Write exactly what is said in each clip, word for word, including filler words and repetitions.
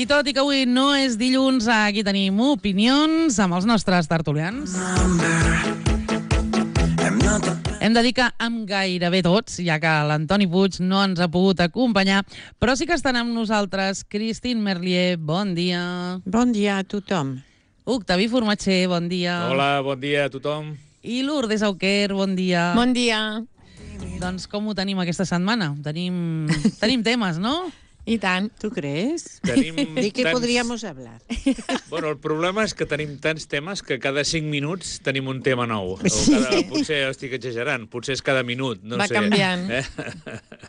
tot i que avui no és dilluns, aquí tenim opinions amb els nostres tertulians. Hem de dir que amb gairebé tots, ja que l'Antoni Puig no ens ha pogut acompanyar, però sí que estan amb nosaltres Christine Merlier, bon dia. Bon dia a tothom. Octavi Formatger, bon dia. Hola, bon dia a tothom. I Lourdes Auquer, bon dia. Bon dia. Doncs com ho tenim aquesta setmana? Tenim, tenim temes, no? I tant. ¿Tú crees? Tenim ¿De qué tants... podríamos hablar? Bueno, el problema és que tenim tants temes que cada cinc minuts tenim un tema nou. O cada... Potser estic exagerant, potser és cada minut, no Va sé. canviant. Eh?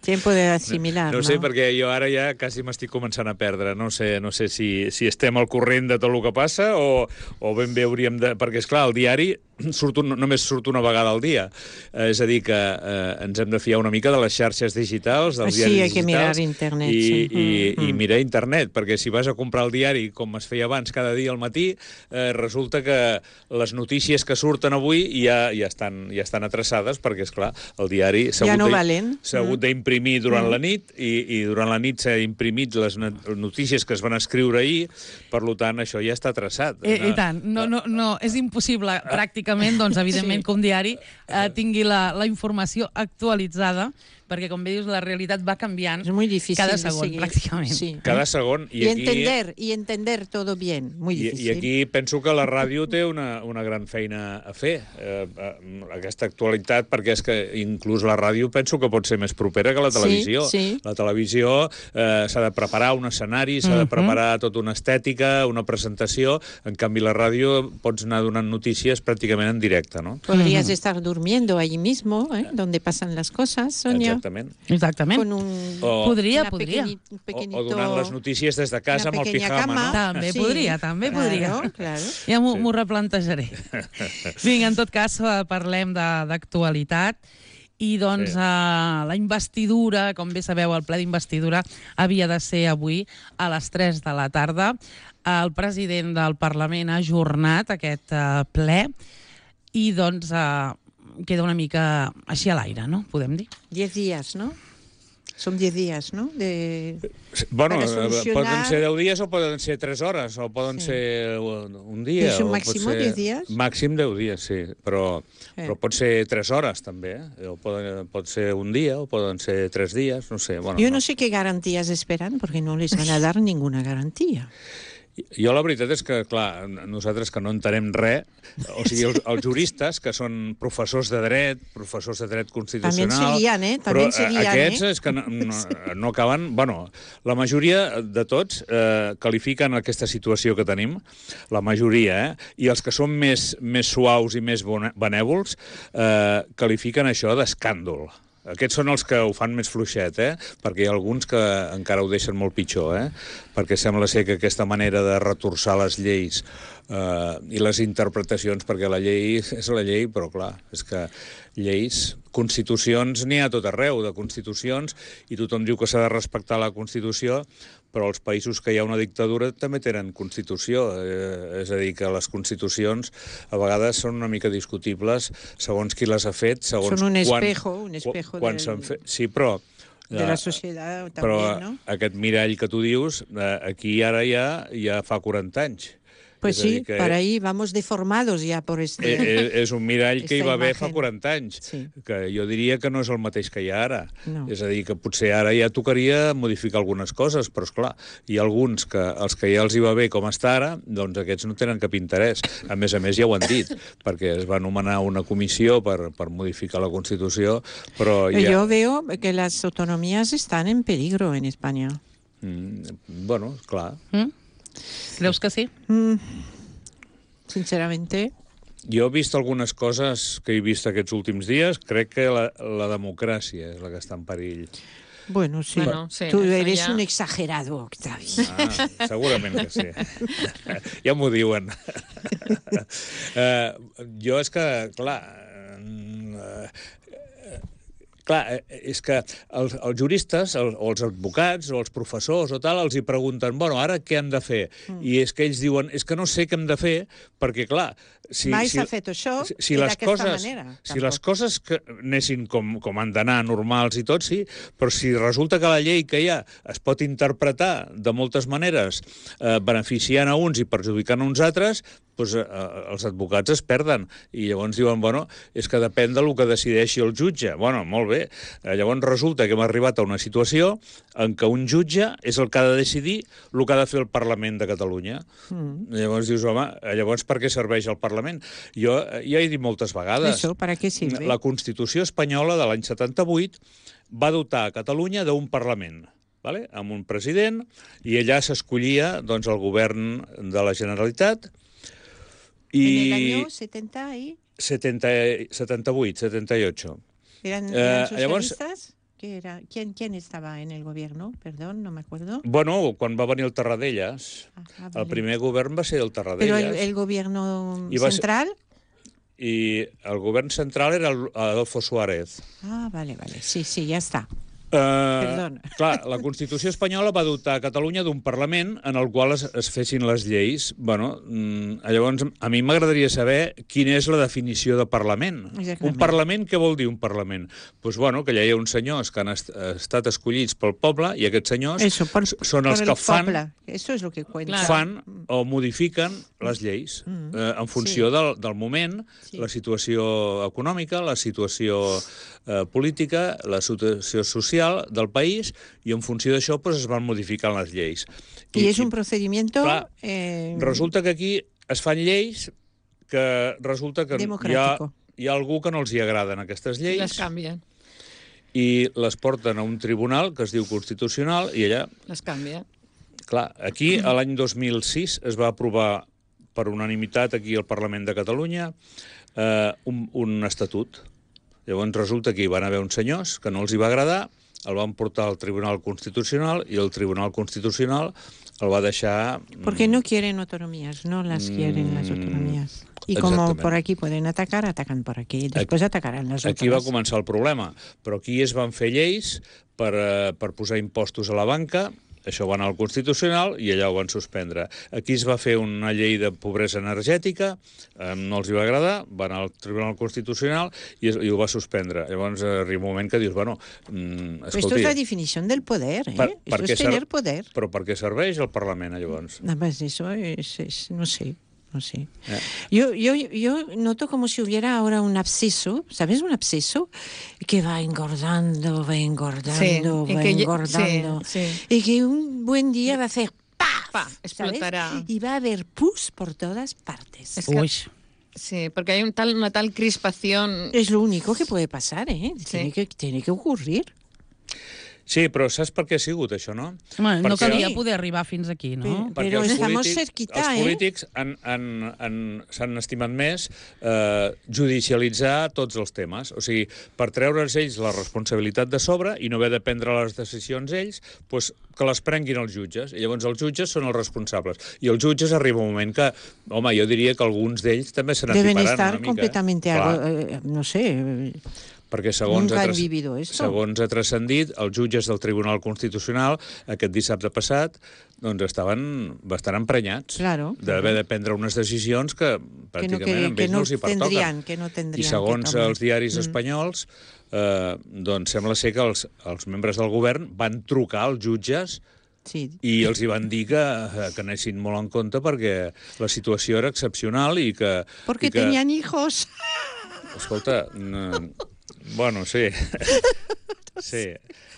Tiempo de asimilar, no, ¿no? no sé, perquè jo ara ja quasi m'estic començant a perdre. No sé, no sé si, si estem al corrent de tot el que passa o, o ben bé hauríem de... Perquè, esclar, el diari surt un, només surt una vegada al dia. Eh, és a dir, que eh, ens hem de fiar una mica de les xarxes digitals, dels Sí, diaris hay que digitals. mirar internet, I, sí. i, Mm. i mirar internet, perquè si vas a comprar el diari, com es feia abans cada dia al matí, eh, resulta que les notícies que surten avui ja, ja, estan, ja estan atreçades, perquè, és clar, el diari s'ha Ja hagut no de- valen. s'ha hagut d'imprimir durant la nit, i, i durant la nit s'ha imprimit les no- notícies que es van escriure ahir, per tant, això ja està traçat. I, I tant, no, no, no, és impossible pràcticament, doncs, evidentment, Sí. que un diari eh, tingui la, la informació actualitzada, perquè, com bé dius, la realitat va canviant Es muy difícil cada de segon, seguir. pràcticament. Sí. Cada segon. Y, I aquí, entender, y entender todo bien. Muy I, difícil. I aquí penso que la ràdio té una, una gran feina a fer, eh, eh, aquesta actualitat, perquè és que inclús la ràdio penso que pot ser més propera que la Sí, televisió. sí. La televisió eh, s'ha de preparar un escenari, s'ha de preparar tota una estètica, una presentació, en canvi la ràdio pots anar donant notícies pràcticament en directe, no? Podrías estar durmiendo allí mismo, ¿eh? Donde pasan las cosas, Sonia. Exactament. Exactament. Con un... O- Podria, una podria. pequeñi- un O, pequeñito... o donant les notícies des de casa Una amb el pequeña pijama, cama. no? També Sí. podria, també Claro, podria. claro. Ja m'ho Sí. m'ho replantejaré. Vinga, en tot cas, eh, parlem de- d'actualitat. I, doncs, Sí. eh, la investidura, com bé sabeu, el ple d'investidura havia de ser avui a les tres de la tarda. El president del Parlament ha ajornat aquest eh, ple i, doncs, eh, queda una mica així a l'aire, no? Podem dir. Diez días, ¿no? Son diez días, ¿no? De... Bueno, Para eh, solucionar- poden ser deu dies o poden ser tres hores, o poden Sí. ser un un dia. És un o pot màxim ser... deu dies? Màxim deu dies, sí, però, Sí. però pot ser tres hores, també. Eh? O poden, pot ser un dia, o poden ser tres dies, no sé. Bueno, Yo no sé qué garantías esperan, porque no les van a dar ninguna garantía. Jo la veritat és que, clar, nosaltres que no entenem res, o sigui, els, els juristes, que són professors de dret, professors de dret constitucional... També se lían, eh? També però se lían, aquests eh? és que no, no, no acaben... Bueno, la majoria de tots eh, qualifiquen aquesta situació que tenim, la majoria, eh? I els que són més, més suaus i més bone- benèvols eh, qualifiquen això d'escàndol. Aquests són els que ho fan més fluixet, eh? Perquè hi ha alguns que encara ho deixen molt pitjor, eh? Perquè sembla ser que aquesta manera de retorçar les lleis eh, i les interpretacions, perquè la llei és la llei, però clar, és que lleis, constitucions n'hi ha a tot arreu, de constitucions, i tothom diu que s'ha de respectar la Constitució, però els països que hi ha una dictadura també tenen Constitució. Eh, és a dir, que les constitucions a vegades són una mica discutibles segons qui les ha fet, segons Són un quan- espejo, un espejo quan del- s'han fet. Sí, però... De la eh, sociedad però también, ¿no? aquest mirall que tu dius, eh, aquí ara ja, ja fa quaranta anys. Pues És a dir, sí, que para ahí vamos deformados ya por este... eh, eh, és un mirall que hi Esta va haver fa imagen. quaranta anys, Sí. que jo diria que no és el mateix que hi ha ara. No. És a dir, que potser ara ja tocaria modificar algunes coses, però, esclar, hi ha alguns que els que ja els hi va bé com està ara, doncs aquests no tenen cap interès. A més a més, ja ho han dit, perquè es va nomenar una comissió per, per modificar la Constitució, però ja... Yo veo que las autonomías están en peligro en España. Mm, bueno, clar. Mm? Creus que sí? Mm, sinceramente, Jo he vist algunes coses que he vist aquests últims dies. Crec que la, la democràcia és la que està en perill. bueno, sí. Bueno, sí, Tú eso eres ya- un exagerado, Octavi. Ah, segurament que sí. Ja m'ho diuen. uh, jo és que, clar... Uh, Clar, és que els, els juristes, el, o els advocats, o els professors o tal, els hi pregunten, bueno, ara què hem de fer? Mm. I és que ells diuen, és que no sé què hem de fer, perquè, clar, si, Mai si, s'ha fet això si, si i les d'aquesta coses, manera. Si les coses que anessin com, com han d'anar, normals i tot, sí, però si resulta que la llei que hi ha es pot interpretar de moltes maneres, eh, beneficiant a uns i perjudicant a uns altres, doncs, eh, els advocats es perden. I llavors diuen, bueno, és que depèn del que decideixi el jutge. Bueno, molt bé. Eh, llavors resulta que hem arribat a una situació en què un jutge és el que ha de decidir el que ha de fer el Parlament de Catalunya. Mm. Llavors dius, home, llavors per què serveix el Parlament? Jo ja he dit moltes vegades. Això, ¿para qué sirve? La Constitució espanyola de l'any setanta-vuit va dotar a Catalunya d'un Parlament, ¿vale? Amb un president, i allà s'escollia doncs, el govern de la Generalitat. I... En el año setenta y... setenta, setenta-vuit, setenta-ocho. ¿Eran, eran socialistas? Llavors... ¿Qué era? ¿Quién, ¿Quién estaba en el gobierno? Perdón, no me acuerdo. Bueno, quan va venir el Tarradellas, ah, ah, vale. El primer govern va ser el Tarradellas. Però el, el gobierno central? Ser... I el govern central era Adolfo Suárez. Ah, vale, vale. Sí, sí, ja està. Uh, clar, la Constitució espanyola va dotar a Catalunya d'un Parlament en el qual es, es fessin les lleis. Bueno, llavors, a mi m'agradaria saber quina és la definició de Parlament. Exactament. Un Parlament, què vol dir un Parlament? Doncs, pues, bueno, que allà hi ha uns senyors que han est estat escollits pel poble i aquests senyors Eso, por, són els que fan, Eso es lo que cuenta. fan o modifiquen les lleis mm. eh, en funció sí. del, del moment, sí. La situació econòmica, la situació eh, política, la situació social del país, i en funció d'això pues, es van modificant les lleis. I, I és un procediment... Eh... Resulta que aquí es fan lleis que resulta que hi ha, hi ha algú que no els hi agraden aquestes lleis. Les canvien. I les porten a un tribunal que es diu Constitucional i allà... Les canvia. Clar, aquí l'any dos mil sis es va aprovar per unanimitat aquí al Parlament de Catalunya eh, un, un estatut. Llavors resulta que hi van haver uns senyors que no els hi va agradar, el van portar al Tribunal Constitucional i el Tribunal Constitucional el va deixar... Porque no quieren autonomías, no las quieren las autonomías. Y como por aquí pueden atacar, atacan por aquí, y después atacarán las otras. Aquí va començar el problema, però aquí es van fer lleis per, per posar impostos a la banca. Això va anar al Constitucional i allà ho van suspendre. Aquí es va fer una llei de pobresa energètica, eh, no els hi va agradar, va anar al Tribunal Constitucional i, es, i ho va suspendre. Llavors arriba un moment que dius, bueno, mm, escolti... Esto es la definició del poder, ¿eh? Per, Esto es tener poder. Però per què serveix el Parlament, llavors? No, pues eso es, es, no sé... No sé. Yeah. Yo, yo, yo noto como si hubiera ahora un absceso, ¿sabes? Un absceso que va engordando, va engordando, sí, va engordando. Sí, sí. Y que un buen día va a hacer ¡paf! Pa, explotará. ¿Sabes? Y va a haber pus por todas partes. Es que, sí, porque hay un tal, una tal crispación. Es lo único que puede pasar, ¿eh? Sí. Tiene que, tiene que ocurrir. Sí, però saps per què ha sigut això, no? Home, no calia poder arribar fins aquí, no? Però estamos cerquita, eh? Els polítics han, han, han, s'han estimat més eh, judicialitzar tots els temes. O sigui, per treure's ells la responsabilitat de sobre i no haver de prendre les decisions ells, doncs que les prenguin els jutges. I llavors els jutges són els responsables. I els jutges arriba un moment que, home, jo diria que alguns d'ells també se n'atiparan una mica. Deben estar completamente, eh, no sé... Perquè segons ha, segons ha transcendit, els jutges del Tribunal Constitucional aquest dissabte passat doncs estaven bastant emprenyats claro, d'haver de prendre unes decisions que pràcticament que no, que, a ells no els hi pertoquen. Que no tendrien, I segons els diaris mm. espanyols, eh, doncs sembla ser que els, els membres del govern van trucar als jutges sí. i els hi van dir que, que anessin molt en compte perquè la situació era excepcional i que... Perquè i que... tenien hijos. Escolta... No, bueno, sí. Sí.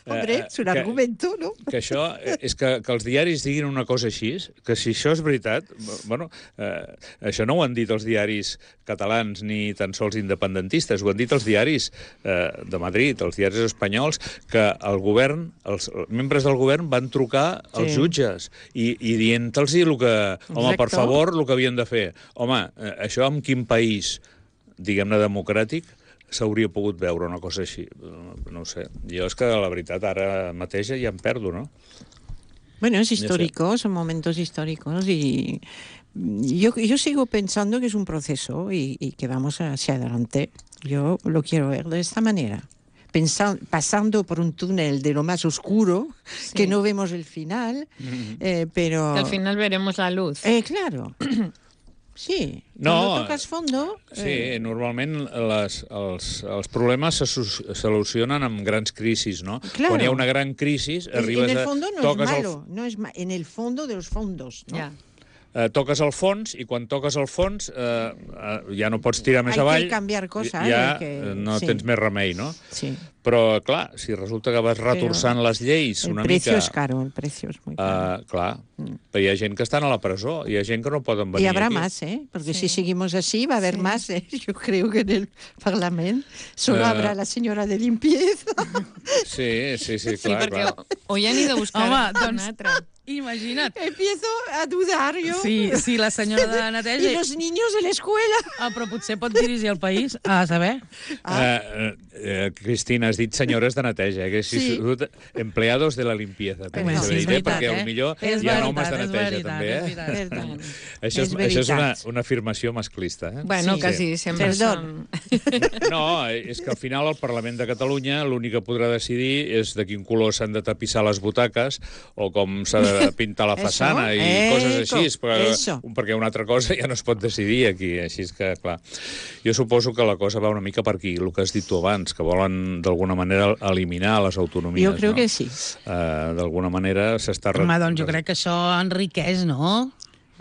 Hombre, és un argumento, no? Que això, és que, que els diaris diguin una cosa així, que si això és veritat, bueno, eh, això no ho han dit els diaris catalans ni tan sols independentistes, ho han dit els diaris eh, de Madrid, els diaris espanyols, que el govern, els membres del govern van trucar als sí. jutges i, i dient-los el que, home, Exacte. Per favor, el que havien de fer. Home, eh, això en quin país, diguem-ne, democràtic, s'hauria pogut veure una cosa així. No ho sé. Jo és que la veritat ara mateix ja em perdo, ¿no? Bueno, es histórico, son momentos históricos y yo, yo sigo pensando que es un proceso y, y que vamos hacia adelante. Yo lo quiero ver de esta manera. Pensando, pasando por un túnel de lo más oscuro, sí. que no vemos el final, mm-hmm. eh, pero... Que al final veremos la luz. Eh, claro. Sí, No, cuando tocas fondo... Sí, eh, normalment les, els, els problemes se su- solucionen amb grans crisis, no? Claro. Quan hi ha una gran crisi, en, arribes en el a... fondo no es toques el malo, no es ma- en el fondo de los fondos, ¿no? Ja. eh, toques el fons i quan toques el fons eh, eh, ja no pots tirar més Hay que avall, cambiar cosas, ja hay que- eh, no sí. tens més remei, no? Sí. Però, clar, si resulta que vas retorçant les lleis El una precio mica... es caro, el precio es muy caro. Uh, clar, però hi ha gent que estan a la presó, hi ha gent que no poden venir Y habrá aquí. más, ¿eh? Porque Sí. si seguimos así va a haber Sí. más, ¿eh? Yo creo que en el Parlamento solo Eh. habrá la señora de limpieza. Sí, sí, sí, Sí, clar, perquè clar. o ja han ido a buscar Home, un doncs- altre. Imagina't. Empiezo a dudar yo. Sí, sí, la senyora de Y neteja... los niños de la escuela. Ah, però potser pot dirigir el país, a saber. Ah. Eh, eh, Cristina, has dit senyores de neteja, eh? que si Sí. sí. empleados de la limpieza. també Home, s'ha sí, és dit, eh? veritat, Perquè eh? potser És hi ha veritat, homes de és neteja, veritat, també. és Eh? veritat. Perdón. Això és, És això és una, veritat. una afirmació masclista. Eh? Bueno, Sí. que sí, sempre Perdón. són... No, és que al final el Parlament de Catalunya l'únic que podrà decidir és de quin color s'han de tapissar les butaques o com s'ha de pintar la Eso, façana i eco, coses així, però, eso. perquè una altra cosa ja no es pot decidir aquí, així és que, clar, jo suposo que la cosa va una mica per aquí, el que has dit tu abans, que volen d'alguna manera eliminar les autonomies. Yo creo no? que sí. Uh, d'alguna manera s'està... Home, doncs jo crec que això enriqueix, no?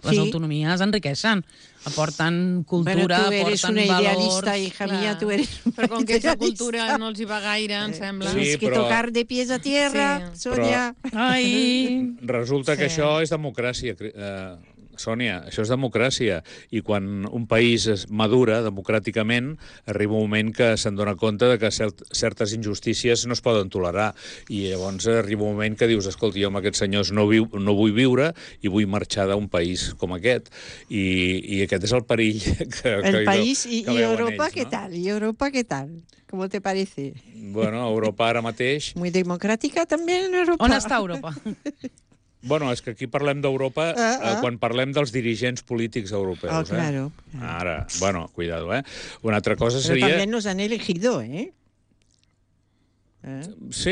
Les Sí. autonomies enriqueixen. Aporten cultura, Bueno, tú eres aporten una valors... idealista, hija Clar. mía, tú eres una Però com que aquesta idealista. cultura no els hi va gaire, em sembla. Sí, Tienes que però- tocar de pies a tierra, Sí. Sonia. Ai... Resulta que Sí. això és democràcia, cri- eh, Sònia, això és democràcia. I quan un país es madura democràticament, arriba un moment que se'n dona compte de que cert, certes injustícies no es poden tolerar. I llavors arriba un moment que dius, escolti, jo amb aquests senyors no, viu, no vull viure i vull marxar d'un país com aquest. I, i aquest és el perill que, que, El hi país veu- y, que y veuen Europa, ells, ¿qué no? tal? ¿Y Europa qué tal? ¿Cómo te parece? Bueno, Europa ara mateix... Muy democrática también en Europa. On està Europa? Bueno, és que aquí parlem d'Europa Ah, ah. eh, quan parlem dels dirigents polítics europeus. Ah, claro. Eh? Ara, bueno, cuidado, eh? Una altra cosa Pero seria... también nos han elegido, ¿eh? ¿Eh? Sí.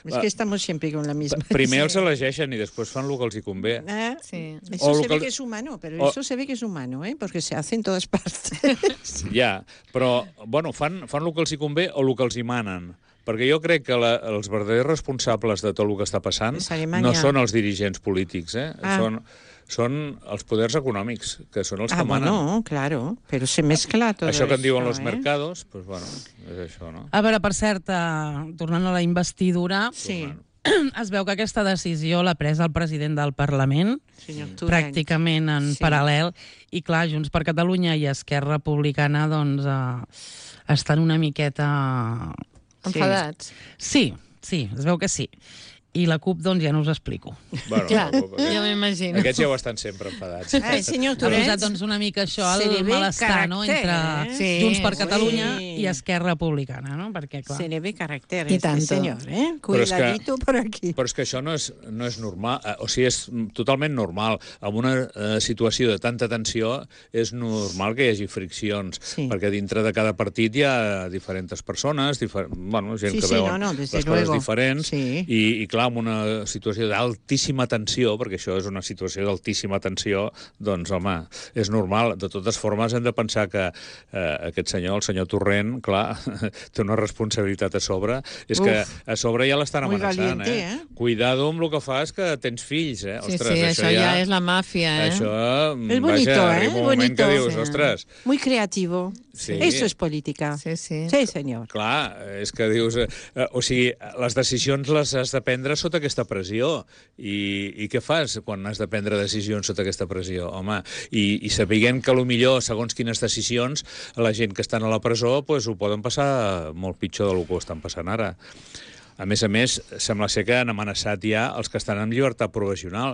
Es que estamos siempre con la misma... Primer els elegeixen i després fan el que els hi convé. ¿Eh? Sí. Eso O se local- ve que es humano, pero o- eso se ve que es humano, ¿eh? Porque se hace en todas partes. Ja, però, bueno, fan, fan el que els hi convé o el que els hi manen. Perquè jo crec que la, els verdaders responsables de tot el que està passant És Alemanya. no són els dirigents polítics, eh? Ah. Són, són els poders econòmics, que són els Ah, que manen. bueno, claro, pero se mezcla todo Això que en diuen eso, los ¿eh? mercados, pues bueno, és això, no? A veure, per cert, eh, tornant a la investidura, Sí, es veu que aquesta decisió l'ha pres el president del Parlament, señor Torrent. pràcticament en Sí. paral·lel, i clar, Junts per Catalunya i Esquerra Republicana doncs, eh, estan una miqueta... Enfadats. Sí, sí, es veu que sí. I la CUP, doncs, ja no us explico. Bueno, Clar, aquest- ja m'imagino. Aquests ja ho estan sempre enfadats. Ai, senyor Ha Torrent. posat, doncs, una mica això, Se li el ve malestar, no?, caràcter, entre eh? Sí, Junts per sí. Catalunya i Esquerra Republicana, no? Perquè, clar... Se le ve carácter Y este tanto. señor, ¿eh? Pero es que- Cuidadito por aquí. Però és que això no és, no és normal, eh, o sigui, és totalment normal. En una eh, situació de tanta tensió és normal que hi hagi friccions, Sí. perquè dintre de cada partit hi ha diferents persones, difer bueno, gent Sí, que sí, veuen no, no, desde les coses luego. diferents, Sí. i, i clar, en una situació d'altíssima tensió, perquè això és una situació d'altíssima tensió, doncs, home, és normal. De totes formes, hem de pensar que eh, aquest senyor, el senyor Torrent, clar, té una responsabilitat a sobre. És Uf. que a sobre ja l'estan Muy amenaçant, valiente, eh? eh? Cuidado amb el que fas, que tens fills, eh? Sí, Ostres, sí, això ja és la màfia, eh? Això, Es bonito, vaja, ¿eh? arriba un moment Bonito. que dius, Sí. ostres, Muy creativo. Sí. Eso es política. Sí, sí. Sí, señor. clar, és que dius... Eh, eh, o sigui, les decisions les has de prendre sota aquesta pressió. I, i què fas quan has de prendre decisions sota aquesta pressió? Home, i, i sapiguem que potser, segons quines decisions, la gent que estan a la presó pues, ho poden passar molt pitjor del que ho estan passant ara. A més a més, sembla ser que han amenaçat ja els que estan en llibertat provisional.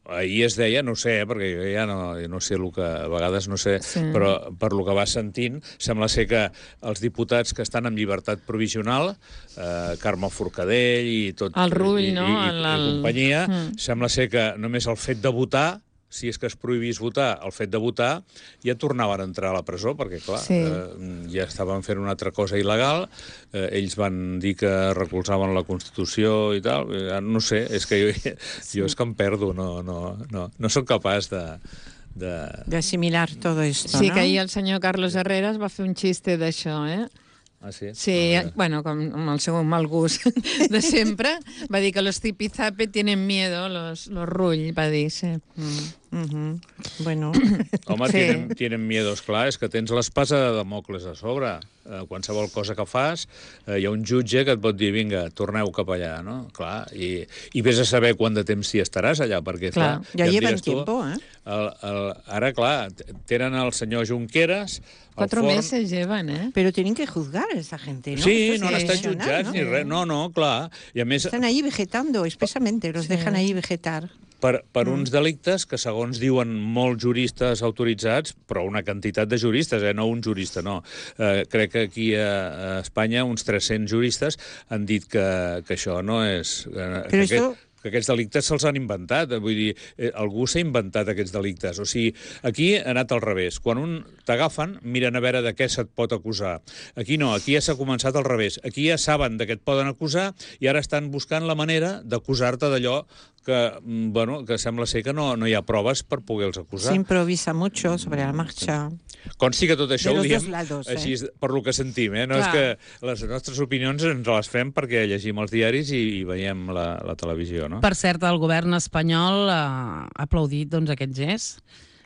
Ahir es deia, no ho sé, eh, perquè jo ja no, jo no sé el que... A vegades no sé, Sí. però per lo que vas sentint, sembla ser que els diputats que estan en llibertat provisional, eh, Carme Forcadell i tot... El Rull, i, no? I, i, El- i el- companyia, Mm. sembla ser que només el fet de votar, si és que es prohibís votar, el fet de votar, ja tornaven a entrar a la presó, perquè, clar, Sí. eh, ja estaven fent una altra cosa il·legal, eh, ells van dir que recolzaven la Constitució i tal, eh, no sé, és que jo, jo és que em perdo, no, no, no, no sóc capaç de, de... De asimilar todo esto, Sí, ¿no? que ahir el senyor Carlos Herreras va fer un xiste d'això, eh? Ah, sí? Sí, Ah, bueno, com amb el seu mal gust de sempre, va dir que los tipizape tienen miedo, los, los rull, va dir, sí. Mm, mhm. Bueno, Home, Sí. tienen, tienen miedos, clar, és que tens l'espasa de Damocles a sobre. Eh, qualsevol cosa que fas, eh, hi ha un jutge que et pot dir, vinga, torneu cap allà, no? Clar, i, i vés a saber quant de temps hi estaràs allà, perquè, clar... Clar, ya em llevan diràs tu, tiempo, ¿eh? El, el, ara, clar, t- tenen el senyor Junqueras, el Cuatro forn... meses llevan, eh? Pero tienen que juzgar a esa gente, ¿no? Sí, Esto no es han estat profesional, jutjats ¿no? ni res. No, no, clar. I a més, Están ahí vegetando expresamente, los Sí. dejan ahí vegetar. per, per mm. uns delictes que, segons diuen molts juristes autoritzats, però una quantitat de juristes, eh? No un jurista, no. Eh, crec que aquí a, a Espanya uns tres-cents juristes han dit que, que això no és... Eh, que, esto... aquest, que aquests delictes se'ls han inventat. Vull dir, eh, algú s'ha inventat aquests delictes. O sigui, aquí ha anat al revés. Quan un t'agafen, miren a veure de què se't pot acusar. Aquí no, aquí ja s'ha començat al revés. Aquí ja saben de què et poden acusar i ara estan buscant la manera d'acusar-te d'allò que, bueno, que sembla ser que no, no hi ha proves per poder-los acusar. Se improvisa mucho sobre la marcha. Consti que tot això De ho los diem dos lados, eh? així per lo que sentim, eh? No Clar. és que les nostres opinions ens les fem perquè llegim els diaris i, i veiem la, la televisió, no? Per cert, el govern espanyol eh, ha aplaudit doncs, aquest gest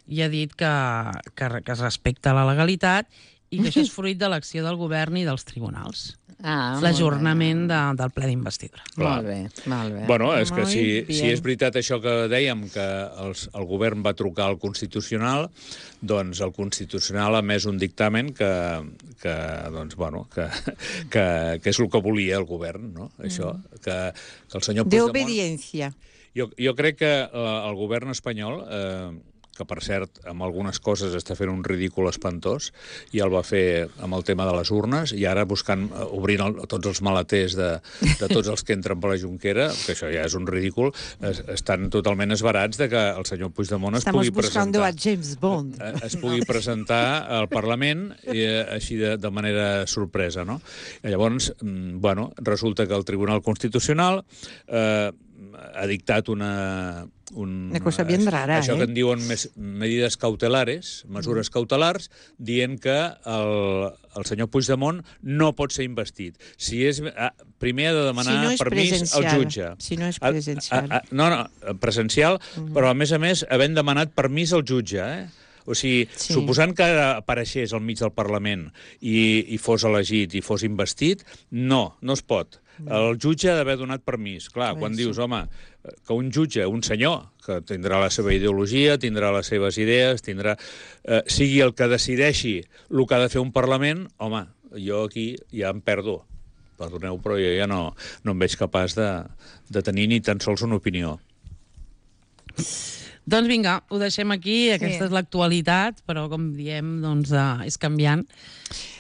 i ha dit que, que, que es respecta la legalitat i que això és fruit de l'acció del govern i dels tribunals. Ah, L'ajornament de, del ple d'investidura. Molt bé, molt bé. Bueno, és que Muy si, bien. si és veritat això que dèiem, que els, el govern va trucar al Constitucional, doncs el Constitucional ha emès un dictamen que, que, doncs, bueno, que, que, que és el que volia el govern, no? Això, que, que el senyor De Puigdemont... obediencia. Jo, jo crec que eh, el govern espanyol, eh, que per cert, amb algunes coses està fent un ridícul espantós, i el va fer amb el tema de les urnes, i ara buscant, eh, obrint el, tots els maleters de, de tots els que entren per la Junquera, que això ja és un ridícul, es, estan totalment esbarats de que el senyor Puigdemont es Estamos pugui buscando presentar... a James Bond. eh, es pugui presentar al Parlament i, eh, així de, de manera sorpresa, no? I llavors, mm, bueno, resulta que el Tribunal Constitucional eh, ha dictat una... Un, Una cosa bien rara, això eh? que en diuen mes, medides cautelares, mesures cautelars, dient que el, el senyor Puigdemont no pot ser investit. Si és, ah, primer ha de demanar Si no és permís presencial. al jutge. Si no és A- presencial. a- a- no, no, presencial, però a més a més havent demanat permís al jutge, eh? O sigui, Sí. sí. suposant que apareixés al mig del Parlament i, i fos elegit i fos investit, no, no es pot. El jutge ha d'haver donat permís. Clar, Bé, quan sí. dius, home, que un jutge, un senyor, que tindrà la seva ideologia, tindrà les seves idees, tindrà, eh, sigui el que decideixi el que ha de fer un Parlament, home, jo aquí ja em perdo. Perdoneu, però jo ja no, no em veig capaç de, de tenir ni tan sols una opinió. Doncs vinga, ho deixem aquí. Aquesta Sí. és l'actualitat, però com diem, doncs, uh, és canviant.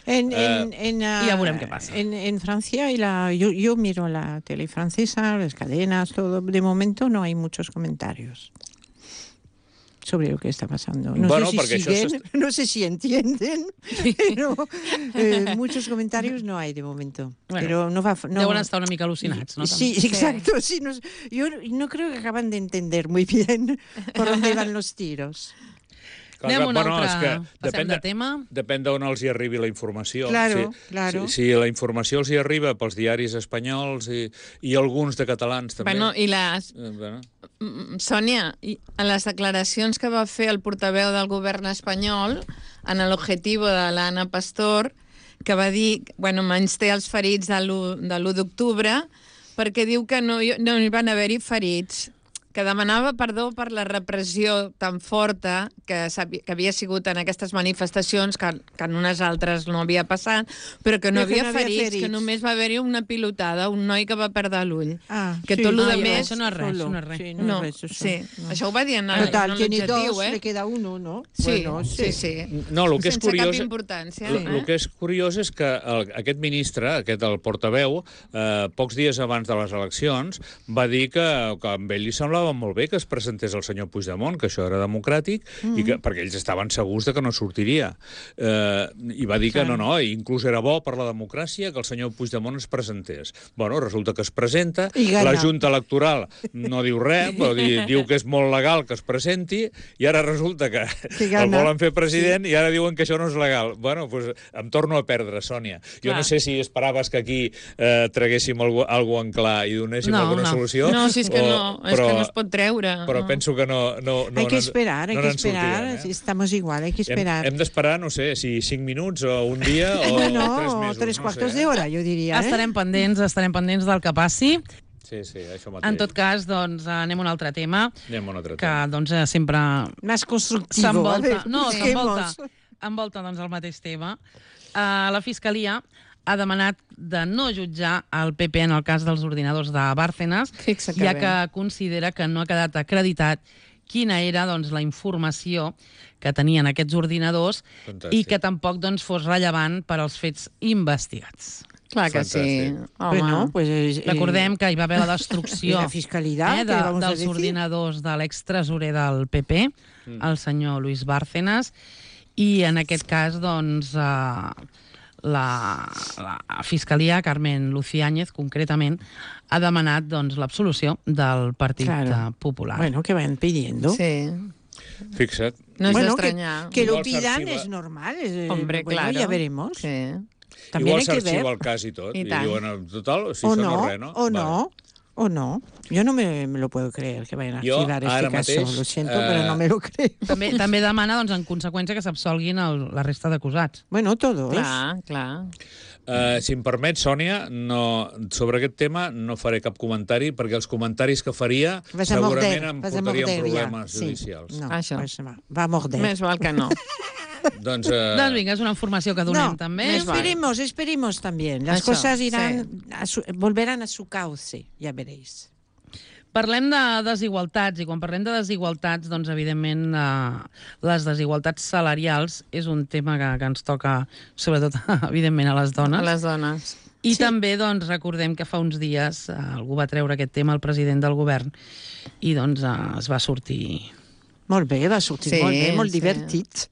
En, en, en, ah, ya veremos qué pasa. En, en Francia, y la, yo, yo miro la tele francesa, las cadenas, todo. De momento no hay muchos comentarios sobre lo que está pasando. No, Bueno, sé, porque si eso siguen, se- no sé si entienden, pero eh, muchos comentarios no hay de momento. Bueno, pero no va, no, Deuen estar una mica al·lucinats, no? Sí, També. exacto. Sí, no, yo no creo que acaban de entender muy bien por dónde van los tiros. Clar, Anem a clar, un bueno, altre... és que Passem depèn de de- tema. Depèn d'on els hi arribi la informació. Claro, si, claro. Si, si la informació els hi arriba pels diaris espanyols i, i alguns de catalans també. Bueno, i les... Eh, bueno. Mm, Sònia, i en les declaracions que va fer el portaveu del govern espanyol en l'objectiu de l'Anna Pastor, que va dir, bueno, menys té els ferits de l'u d'octubre, perquè diu que no, hi- no hi van haver-hi ferits, que demanava perdó per la repressió tan forta que, s'havi- que havia sigut en aquestes manifestacions, que, que en unes altres no havia passat, però que no Però que havia no havia ferits, ferits. que només va haver-hi una pilotada, un noi que va perdre l'ull. Ah, Que sí. tot lo Ah, de ja, més... això no és res, Solo. això no és res. Sí, No, es res, eso, sí, no. això ho va dir en, en Total, tiene l'objectiu, dos, eh? le queda uno, ¿no? Sí, Bueno, sí, sí. No, el que és Sense curiós... cap importància. El, el eh? que és curiós és que el, aquest ministre, aquest el portaveu, eh, pocs dies abans de les eleccions, va dir que, que a ell li semblava estava molt bé que es presentés el senyor Puigdemont, que això era democràtic, mm. i que, perquè ells estaven segurs de que no sortiria. Eh, I va dir que no, no, inclús era bo per la democràcia que el senyor Puigdemont es presentés. Bueno, resulta que es presenta, la Junta Electoral no diu res, dir, diu que és molt legal que es presenti, i ara resulta que el volen fer president sí. i ara diuen que això no és legal. Bueno, doncs em torno a perdre, Sònia. Jo clar. No sé si esperaves que aquí eh, traguéssim algú, algú en clar i donéssim no, alguna no. solució. No, si és que o, no, és però, que no es pot treure. Però no. penso que no... no, no hay que esperar, no hay que esperar. Eh? Si estamos igual, hay que esperar. Hem, hem d'esperar, no sé, si cinc minuts o un dia o bueno, tres mesos. tres no quartos sé, d'hora, jo diria. Eh? Estarem pendents, estarem pendents del que passi. Sí, sí, això mateix. En tot cas, doncs, anem a un altre tema. Anem a un altre que, tema. doncs, sempre... Més constructiu. S'envolta, no, s'envolta, envolta, doncs, el mateix tema. Uh, la Fiscalia ha demanat de no jutjar el P P en el cas dels ordinadors de Bárcenas, Fixa que ja bé. que considera que no ha quedat acreditat quina era doncs, la informació que tenien aquests ordinadors Fantàstic. I que tampoc doncs, fos rellevant per als fets investigats. Clar que sí. Home. Bueno, pues, eh, Recordem que hi va haver la destrucció la fiscalitat, eh, de, dels ordinadors de l'extresorer del P P, mm. el senyor Luis Bárcenas, i en aquest cas, doncs, eh, la, la Fiscalia, Carmen Luciáñez, concretament, ha demanat doncs, l'absolució del Partit claro. Popular. Bueno, que van pidiendo. Sí. Fixa't. No és bueno, d'estranyar. Que, que lo pidan es normal. Es, Hombre, bueno, claro. ya veremos. Sí. També igual s'arxiva el cas i tot. I, I diuen, total, si o això no, no és res, no? O no, vale. O no. Yo no me, me lo puedo creer que vayan a archivar jo, este caso. Mateix, lo siento, uh... pero no me lo creo. També, també demana, doncs, en conseqüència, que s'absolguin el, la resta d'acusats. Bueno, todos. Clar, clar. Uh, si em permet, Sònia, no, sobre aquest tema no faré cap comentari, perquè els comentaris que faria vas segurament morder, em portarien problemes ja. judicials. Sí. No, Això. Va, va a morder. Més val que no. Doncs, uh... doncs vinga, és una informació que donem no, també. Esperemos, esperemos también. Las Això, cosas irán sí. a su, volverán a su cauce, ya veréis. Parlem de desigualtats, i quan parlem de desigualtats, doncs, evidentment, eh, les desigualtats salarials és un tema que, que ens toca, sobretot, evidentment, a les dones. A les dones. I sí. també, doncs, recordem que fa uns dies eh, algú va treure aquest tema al president del govern i, doncs, eh, es va sortir... Molt bé, va sortir sí, molt bé, molt sí. divertit.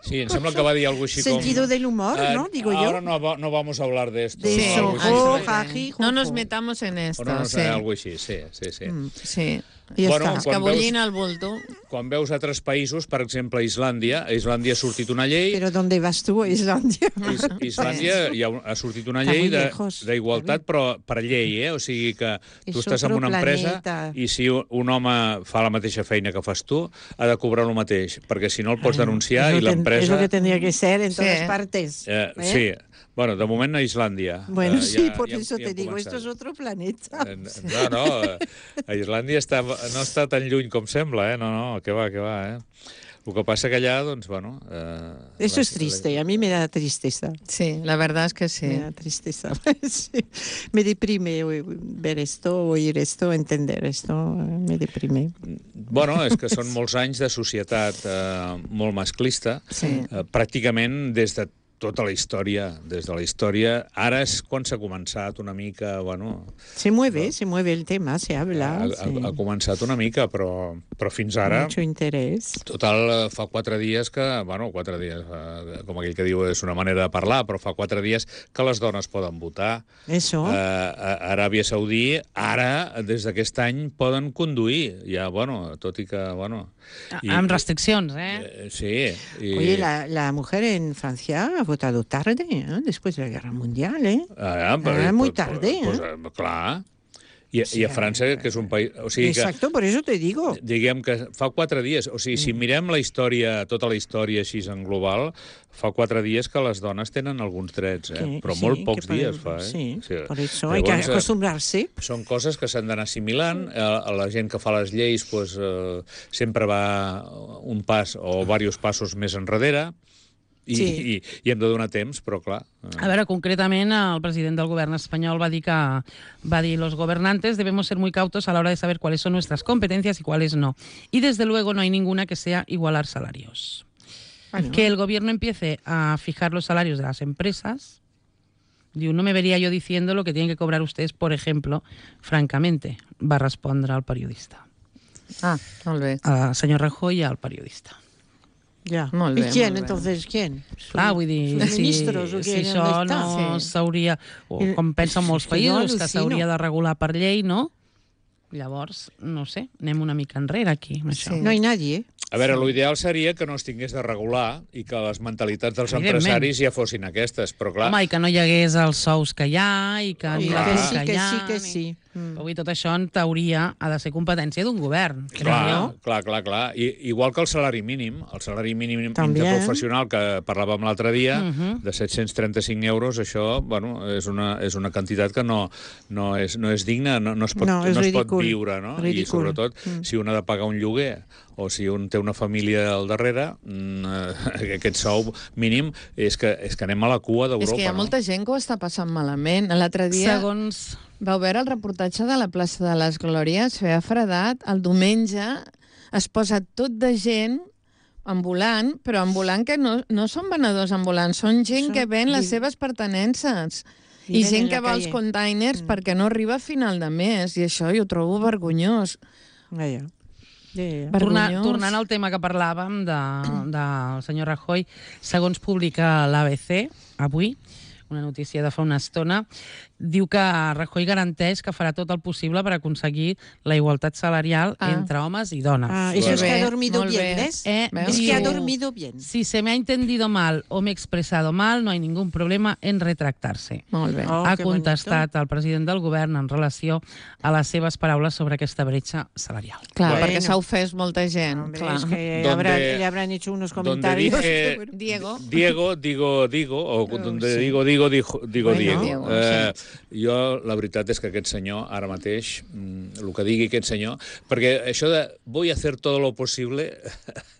Sí, em sembla que va dir alguna cosa així com... Sentido del humor, uh, ¿no? Digo yo. Ahora no, no vamos a hablar de esto. De sí, eso. Sí. Oh, jaji, no nos metamos en esto. O no, no sí. sé, algo així, sí, sí, sí. Mm. Sí. I bueno, està. Escabollint el bulto. Quan veus altres països, per exemple, Islàndia, a Islàndia ha sortit una llei... Però ¿dónde vas tu, a Islàndia? Is, Islàndia hi ha, ha sortit una llei d'igualtat, però per llei, eh? O sigui que tu és estàs en una empresa planeta. i si un home fa la mateixa feina que fas tu, ha de cobrar el mateix, perquè si no el pots denunciar i l'empresa... És el que tendría que ser en sí. todas partes. Eh, ¿eh? Sí. Bueno, de moment a Islàndia. Bueno, eh, sí, ja, por ja, eso ja te digo, començat. esto es otro planeta. Eh, No, no, a Islàndia està, no està tan lluny com sembla, eh? No, no, que va, que va, eh? El que passa que allà, doncs, bueno... Eh, Eso es triste, a mí me da tristeza. Sí, la verdad es que sí. Me da tristeza. Sí. Me deprime ver esto, oír esto, entender esto, me deprime. Bueno, és que són molts anys de societat eh, molt masclista, Sí. eh, pràcticament des de tota la història, des de la història. Ara és quan s'ha començat una mica, bueno... Se mueve, no? se mueve el tema, se habla. Ha, sí. ha, ha començat una mica, però, però fins ara... Mucho interés. Total, fa quatre dies que... Bueno, quatre dies, eh, com aquell que diu, és una manera de parlar, però fa quatre dies que les dones poden votar. Eso. Eh, a Aràbia Saudí, ara, des d'aquest any, poden conduir. Ja, bueno, tot i que, bueno... I, amb restriccions, eh? eh sí. I... Oye, la, la mujer en Francia ha votado tarde, ¿eh? Después de la Guerra Mundial, ¿eh? Ah, però, ah, muy pues, tarde, pues, ¿eh? Pues, clar. I, sí, I a França, que és un país... O sigui Exacto, que, por eso te digo. Diguem que fa quatre dies... O sigui, si mirem la història, tota la història així en global, fa quatre dies que les dones tenen alguns drets, eh? Que, Però sí, molt pocs que dies per, fa, eh? Sí, sí. por eso hay que acostumbrarse. Són coses que s'han d'anar assimilant. Eh, la gent que fa les lleis pues, eh, sempre va un pas o diversos passos més enrere. I, sí. i, i hem de donar temps, però clar... Eh. A veure, concretament, el president del govern espanyol va dir que va dir los gobernantes debemos ser muy cautos a la hora de saber cuáles son nuestras competencias y cuáles no. Y desde luego no hay ninguna que sea igualar salarios. Bueno. Que el gobierno empiece a fijar los salarios de las empresas. Diu, no me vería yo diciendo lo que tienen que cobrar ustedes, por ejemplo, francamente, va respondre el periodista. Ah, molt bé. al senyor Rajoy i al periodista. Ya. Molt bé, ¿Y quién molt bé. entonces? ¿Quién? Ah, vull dir, sus si, ministros o si quién, això ¿dónde no está? Sí. s'hauria, o Eh, com pensen molts és que jo països, que al·lucino. s'hauria de regular per llei, no? Llavors, no sé, anem una mica enrere aquí, amb això. Sí. No hay nadie, ¿eh? A veure, l'ideal seria que no es tingués de regular i que les mentalitats dels Evidentment. empresaris ja fossin aquestes, però clar... Home, i que no hi hagués els sous que hi ha, i que ni Y la que que sí, que hi ha... sí, que ni- sí. Mm. Avui tot això, en teoria, ha de ser competència d'un govern. crec Clar, jo. clar, clar, clar. I, igual que el salari mínim, el salari mínim També. interprofessional que parlàvem l'altre dia, Mhm. de set-cents trenta-cinc euros, això, bueno, és una, és una quantitat que no, no, és, no és digna, no, no es pot, No, no, és es pot ridícul. viure, no? I Ridícul. sobretot, Mm. si un ha de pagar un lloguer o si un té una família al darrere, mm, eh, aquest sou mínim és que, és que anem a la cua d'Europa. És que hi ha no? molta gent que ho està passant malament. L'altre dia Segons... vau veure el reportatge de la plaça de les Glòries, feia fredat, el diumenge es posa tot de gent ambulant, però ambulant que no, no són venedors ambulants, són gent Són que ven les vi- seves pertenences. I Viven gent en que la va als calle. containers Mm. perquè no arriba a final de mes, i això jo ho trobo vergonyós. Ah, ja. Ja, ja. Torna, Vergonyós. tornant al tema que parlàvem de, del senyor Rajoy, segons publica l'A B C avui, una notícia de fa una estona, diu que Rajoy garanteix que farà tot el possible per aconseguir la igualtat salarial Ah. entre homes y donas. Ah, eso Bueno. es que ha dormido Molt bien, bé. ¿ves? Eh, Veus? Es que ha diu, dormido bien. Si se me ha entendido mal o me he expresado mal, no hay ningún problema en retractarse. Molt bé. Oh, ha que contestat el president del govern en relació a les seves paraules sobre aquesta bretxa salarial. Clar, Bueno. perquè s'ha ofès molta gent. Hombre, clar. es que Donde- habrá- le habrán hecho unos Donde comentarios. dije Diego. Diego, digo, digo, o donde sí. digo, digo, digo, digo Bueno, Diego. Diego, eh, jo, la veritat és que aquest senyor, ara mateix, mm, el que digui aquest senyor, perquè això de voy a hacer todo lo posible,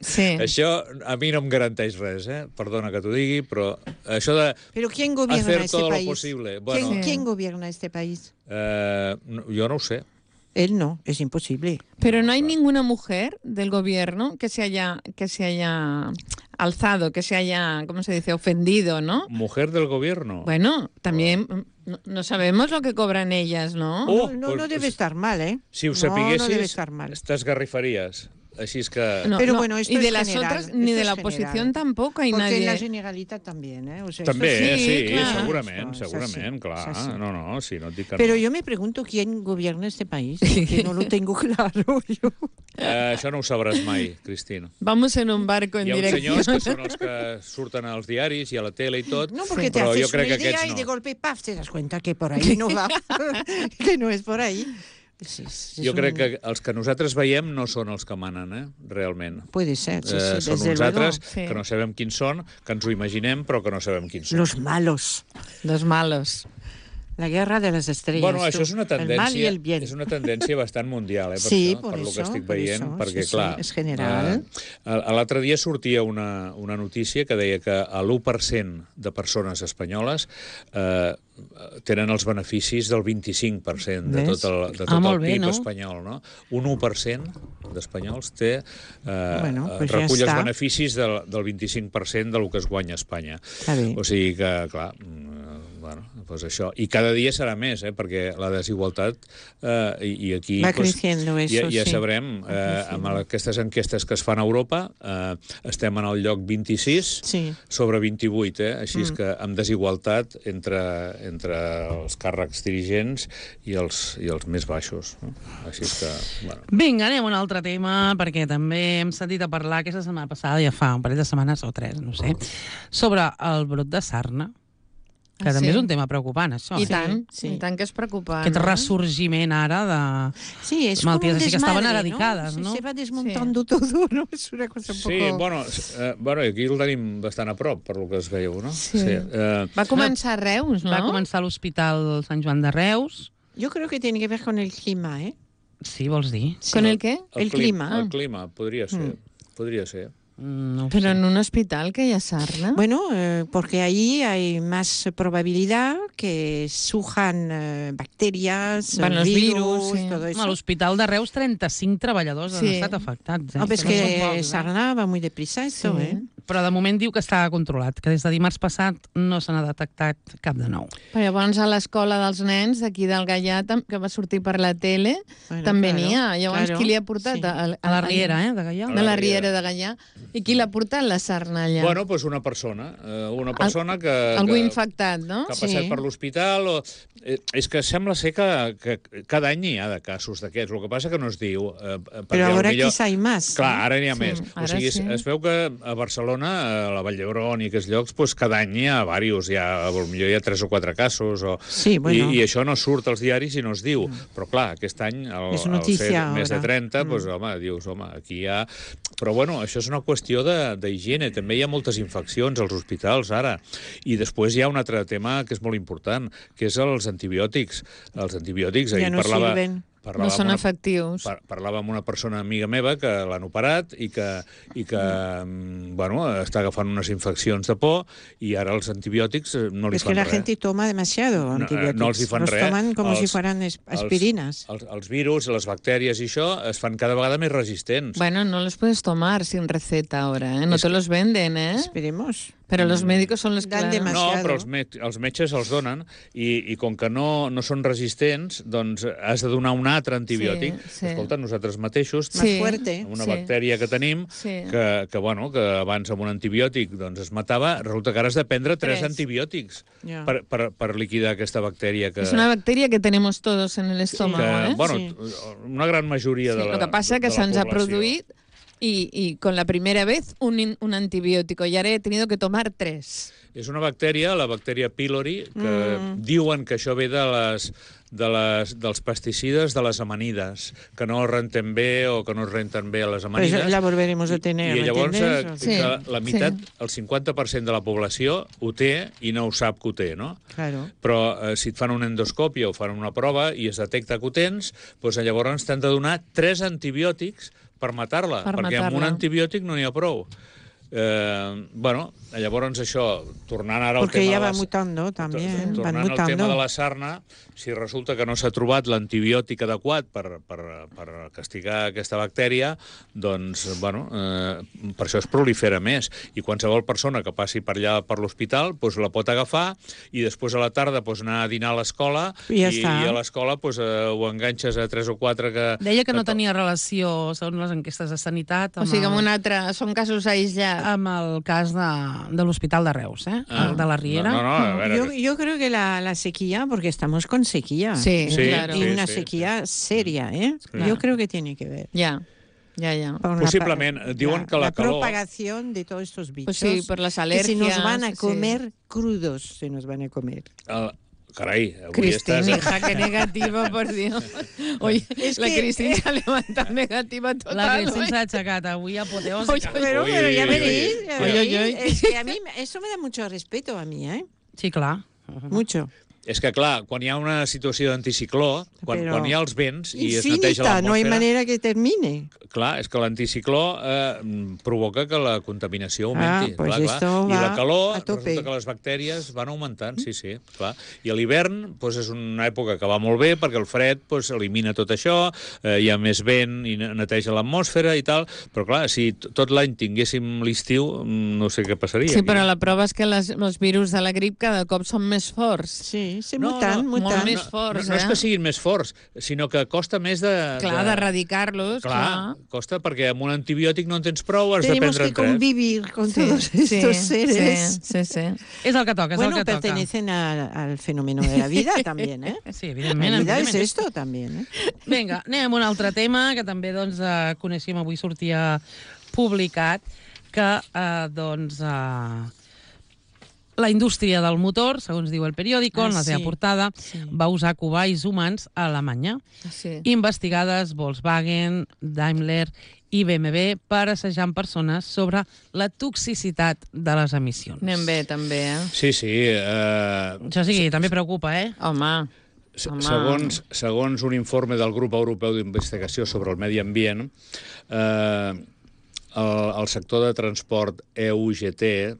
Sí. això a mi no em garanteix res, eh? Perdona que t'ho digui, però això de Pero ¿quién gobierna hacer este todo lo país? posible, ¿Quién, bueno, Sí. quién gobierna este país? eh, no, jo no ho sé. Él no, es imposible. Pero no hay ninguna mujer del gobierno que se haya que se haya alzado, que se haya, ¿cómo se dice?, ofendido, ¿no? Mujer del gobierno. Bueno, también no, no sabemos lo que cobran ellas, ¿no? Oh, no, no, pues- no debe pues, estar mal, ¿eh? Si ho no, sapiguessis, no debe estar mal. t'esgarrifaries. Així és que... No, Pero no, bueno, esto y de es las general, otras, ni esto de es la general. oposición tampoco hay Porque en la nadie. Generalitat también, ¿eh? O sea, També, esto eh? es- sí, clar. segurament, Esto es segurament, así, clar. es así. No, no, sí, no et dic que Pero no. yo me pregunto quién gobierna este país, porque no lo tengo claro. Yo. Eh, això no ho sabràs mai, Cristina. Vamos en un barco en Hi ha uns dirección. senyors que són els que surten als diaris i a la tele i tot, No, porque Sí. te però haces jo crec una que idea aquests y no. de golpe, paf, te das cuenta que por ahí no va, que no es por ahí. Es- es- es Jo crec un- que els que nosaltres veiem no són els que manen, eh? Realment. Puede ser, sí, Eh, sí, són desde uns luego. altres Sí. que no sabem quins són, que ens ho imaginem, però que no sabem quins són. Los malos. Los malos. La guerra de les estrelles. Bueno, tu. això és una El mal i tendència, el bien. és una tendència bastant mundial, eh, per Sí, això, por per lo que eso, estic por veient, eso, perquè, sí, sí, clar... és general. Eh, L'altre dia sortia una, una notícia que deia que l'u per cent de persones espanyoles eh, tenen els beneficis del vint-i-cinc per cent de Ves? tot el, de tot Ah, el molt P bé, I B no? espanyol, no? Un u per cent d'espanyols té, eh, Bueno, pues recull ja els està. beneficis del, del vint-i-cinc per cent del que es guanya a Espanya. Està bé. O sigui que, clar, mm, bueno, doncs això. I cada dia serà més, eh, perquè la desigualtat, eh, i, i aquí... Va doncs, creciendo eso, ja, ja sí. sabrem, Va eh, creciendo. amb aquestes enquestes que es fan a Europa, eh, estem en el lloc vint-i-sis Sí. sobre vint-i-vuit, eh? Així és Mm. que amb desigualtat entre, entre els càrrecs dirigents i els, i els més baixos. No? Així és que, bueno... Vinga, anem a un altre tema, perquè també hem sentit a parlar aquesta setmana passada, ja fa un parell de setmanes o tres, no sé, sobre el brot de sarna, que Ah, també sí? és un tema preocupant, això. I eh? tant, sí. i tant que és preocupant. Aquest eh? ressorgiment ara de... Sí, es como Malalties un així que estaven desmadre, eradicades, Se- no? Se va desmontando todo, ¿no? Es una cosa un Sí, poco... bueno, eh, bueno, aquí el tenim bastant a prop, per lo que es veieu, no? Sí. Eh, Va començar a Reus, no? Va començar a l'Hospital Sant Joan de Reus. Yo creo que tiene que ver con el clima, ¿eh? Sí, vols dir? ¿Con el qué? El clim- clima. El clima, podria ser. Podria ser. Mm, No ho Pero sé. en un hospital que hay sarna. Bueno, eh, porque ahí hay más probabilidad que surjan eh, bacterias, Van los virus, virus, sí. todo eso. A l'Hospital de Reus, treinta-cinc treballadors han Sí. estat afectats. Eh? No, pero es no són que pocs, eh? Sarna va muy deprisa esto, Sí. ¿eh? Però de moment diu que està controlat, que des de dimarts passat no se n'ha detectat cap de nou. Però llavors a l'escola dels nens d'aquí del Gaià, que va sortir per la tele, Bueno, també claro, n'hi ha. Llavors, claro, qui li ha portat? sí. A, A la Riera, eh, de Gaià. De la Riera de Gaià. I qui l'ha portat, la sarna, allà? Bueno, doncs una persona. eh, Una persona que... Algú que, infectat, no? que ha passat Sí. per l'hospital. O... eh, És que sembla ser que, que cada any hi ha de casos d'aquests. El que passa que no es diu. Eh, Però ara millor... quizá hay más. Clar, ara n'hi ha Sí, més. O ara sigui, sí. es, es veu que a Barcelona, a la Vall d'Hebron i aquests llocs, doncs cada any hi ha diversos. Hi ha, potser hi ha tres o quatre casos. O... Sí, bueno. I, I això no surt als diaris i no es diu. Però clar, aquest any, al, És al notícia ser més de ara. trenta, Mm. doncs, home, dius, home, aquí hi ha... Però bueno, això és una qüestió de- d'higiene. També hi ha moltes infeccions als hospitals ara. I després hi ha un altre tema que és molt important, que és els antibiòtics. Els antibiòtics, Ja ahir no parlava... sirven. parlava No són amb una- efectius. Par parlava amb una persona amiga meva que l'han operat i que, i que mm. bueno, està agafant unes infeccions de por i ara els antibiòtics eh, no li Es fan que la res. gente toma demasiado No, eh, antibióticos. no els hi fan Los res. toman como Els- si fueran es- aspirinas. Els, els, els virus, les bactèries i això es fan cada vegada més resistents. Bueno, no los puedes tomar sin receta ahora, ¿eh? No Es te que- los venden, ¿eh? Esperemos. Pero los médicos son los que... Dan la- demasiado. No, però els, met els metges els donen i, i com que no, no són resistents, doncs has de donar un altre antibiòtic. Sí, sí. Escolta, nosaltres mateixos, Más fuerte. amb una sí. bactèria que tenim, Sí. que, que, bueno, que abans amb un antibiòtic doncs, es matava, resulta que ara has de prendre tres, Tres. antibiòtics Ja. per, per, per liquidar aquesta bactèria que... Es una bacteria que tenemos todos en el estómago, que, ¿eh? bueno, Sí. una gran majoria Sí, de la lo que pasa es que de se la ens ha població. produït y, y con la primera vez un, in- un antibiótico y ahora he tenido que tomar tres. És una bactèria, la bactèria pylori, que Mm. diuen que això ve de les, de les, dels pesticides de les amanides, que no renten bé o que no es renten bé a les Pues amanides. la volveremos a tener, I ¿me llavors eh, entiendes? Sí, que la meitat, sí. el cinquanta per cent de la població ho té i no ho sap que ho té, no? Claro. Però eh, si et fan una endoscòpia o fan una prova i es detecta que ho tens, doncs llavors t'han de donar tres antibiòtics per matar-la, Per perquè amb un matar-la. antibiòtic no n'hi ha prou. Eh, bueno, llavors això, tornant ara al Porque tema ya de va les- mutando también, Tornant van al tema de mutando. la sarna, si resulta que no s'ha trobat l'antibiòtic adequat per, per, per castigar aquesta bactèria, doncs, bueno, eh, per això es prolifera més. I qualsevol persona que passi per allà per l'hospital doncs la pot agafar i després a la tarda doncs, anar a dinar a l'escola I ja i, està. i a l'escola doncs, eh, ho enganxes a tres o quatre que... Deia que no que to- tenia relació, segons les enquestes de sanitat, O amb, sigui, amb el, un altre... Són casos aïslats. amb el cas de, de l'Hospital de Reus, eh? Ah. El de la Riera. No, no, no, a veure, Yo, yo creo que la, la sequía, porque estamos con sequía. Sí, Sí, claro. Y sí, una sí, sequía seria, ¿eh? Sí. Yo creo que tiene que ver. Ja, ja, ja. Con Possiblement. pa- Diuen que la calor- propagación de todos estos bichos. Pues sí, por las que alergias. se nos van a sí. comer crudos, se nos van a comer. El, carai, avui Cristina, estàs... hija, qué negativa, por Dios. Oye, Es la que- Cristina se ha levantado negativa total. La Cristina hoy. s'ha aixecat avui apoteòsica. Oye, Pero, Uy, pero ya uy, veréis, uy. ya Uy, veréis. uy, uy. Es que a mí eso me da mucho respeto a mí, ¿eh? Sí, clar. Mucho. És que, clar, quan hi ha una situació d'anticicló, quan, Però quan hi ha els vents i es neteja Infinita, no hay l'atmosfera... manera que termine. Clar, és que l'anticicló eh, provoca que la contaminació augmenti. Ah, pues clar, esto clar. I va la calor, a tope. resulta que les bactèries van augmentant, sí, sí, clar. I a l'hivern doncs, és una època que va molt bé perquè el fred doncs, elimina tot això, eh, hi ha més vent i neteja l'atmosfera i tal, però clar, si t- tot l'any tinguéssim l'estiu, mm, no sé què passaria. Sí, aquí. però la prova és que les, els virus de la grip cada cop són més forts. Sí, se No, mutan, no, mutan. molt més no, forts, no, no és eh? que siguin més forts, sinó que costa més de... Clar, de- d'erradicar-los, Clar, clar. costa perquè amb un antibiòtic no en tens prou, has Tenemos de que prendre en tres. convivir con todos estos seres. Sí, sí, sí. És el que toca, és Bueno, el que toca. pertenecen a- al fenómeno de la vida también, ¿eh? Sí, La evidentment. vida es evidentment. esto también, ¿eh? Vinga, anem a un altre tema que també doncs, eh, coneixíem avui, sortia publicat, que eh, doncs, eh, la indústria del motor, segons diu el periòdico, Ah, en la seva sí, portada, sí. va usar cobais humans a Alemanya. sí. Investigades Volkswagen, Daimler i B M W per assajar amb persones sobre la toxicitat de les emissions. Anem bé, també, eh? Sí, sí. Eh, Això sí, també preocupa, eh? Home, se- home. segons, segons un informe del Grup Europeu d'Investigació sobre el Medi Ambient, eh, el, el sector de transport E U G T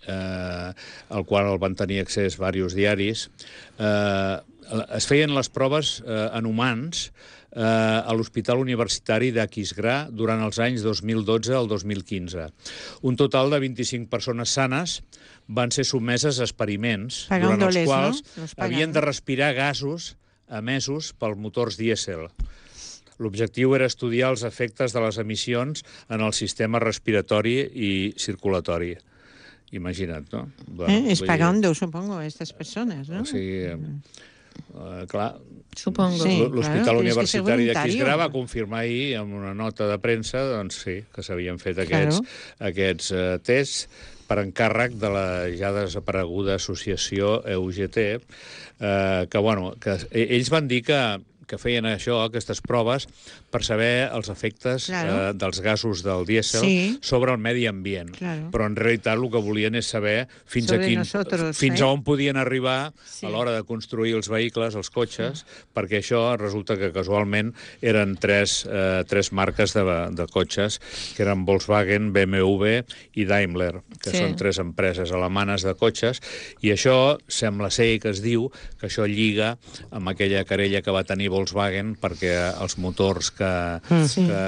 eh, al qual el van tenir accés diversos diaris, eh, es feien les proves eh, en humans eh, a l'Hospital Universitari d'Aquisgrà durant els anys dos mil dotze al dos mil quinze. Un total de vint-i-cinc persones sanes van ser sotmeses a experiments durant els quals no? havien de respirar gasos emesos pels motors dièsel. L'objectiu era estudiar els efectes de les emissions en el sistema respiratori i circulatori. Imagina't, no? Bueno, eh, es pagando, supongo, a estas personas, ¿no? O sigui, eh, clar, Supongo. Sí, l'Hospital claro, Universitari d'Aquisgrà va confirmar ahir en una nota de premsa, doncs sí, que s'havien fet aquests, claro. aquests uh, tests per encàrrec de la ja desapareguda associació E U G T, eh, que, bueno, que ells van dir que que feien això, aquestes proves, per saber els efectes claro. eh, dels gasos del dièsel sí. sobre el medi ambient. Claro. Però en realitat el que volien és saber fins, a, quin, nosotros, fins eh? a on podien arribar sí. a l'hora de construir els vehicles, els cotxes, sí. perquè això resulta que casualment eren tres, eh, tres marques de, de cotxes, que eren Volkswagen, B M W i Daimler, que sí. són tres empreses alemanes de cotxes, i això sembla ser que es diu que això lliga amb aquella querella que va tenir Volkswagen perquè els motors que, sí. que,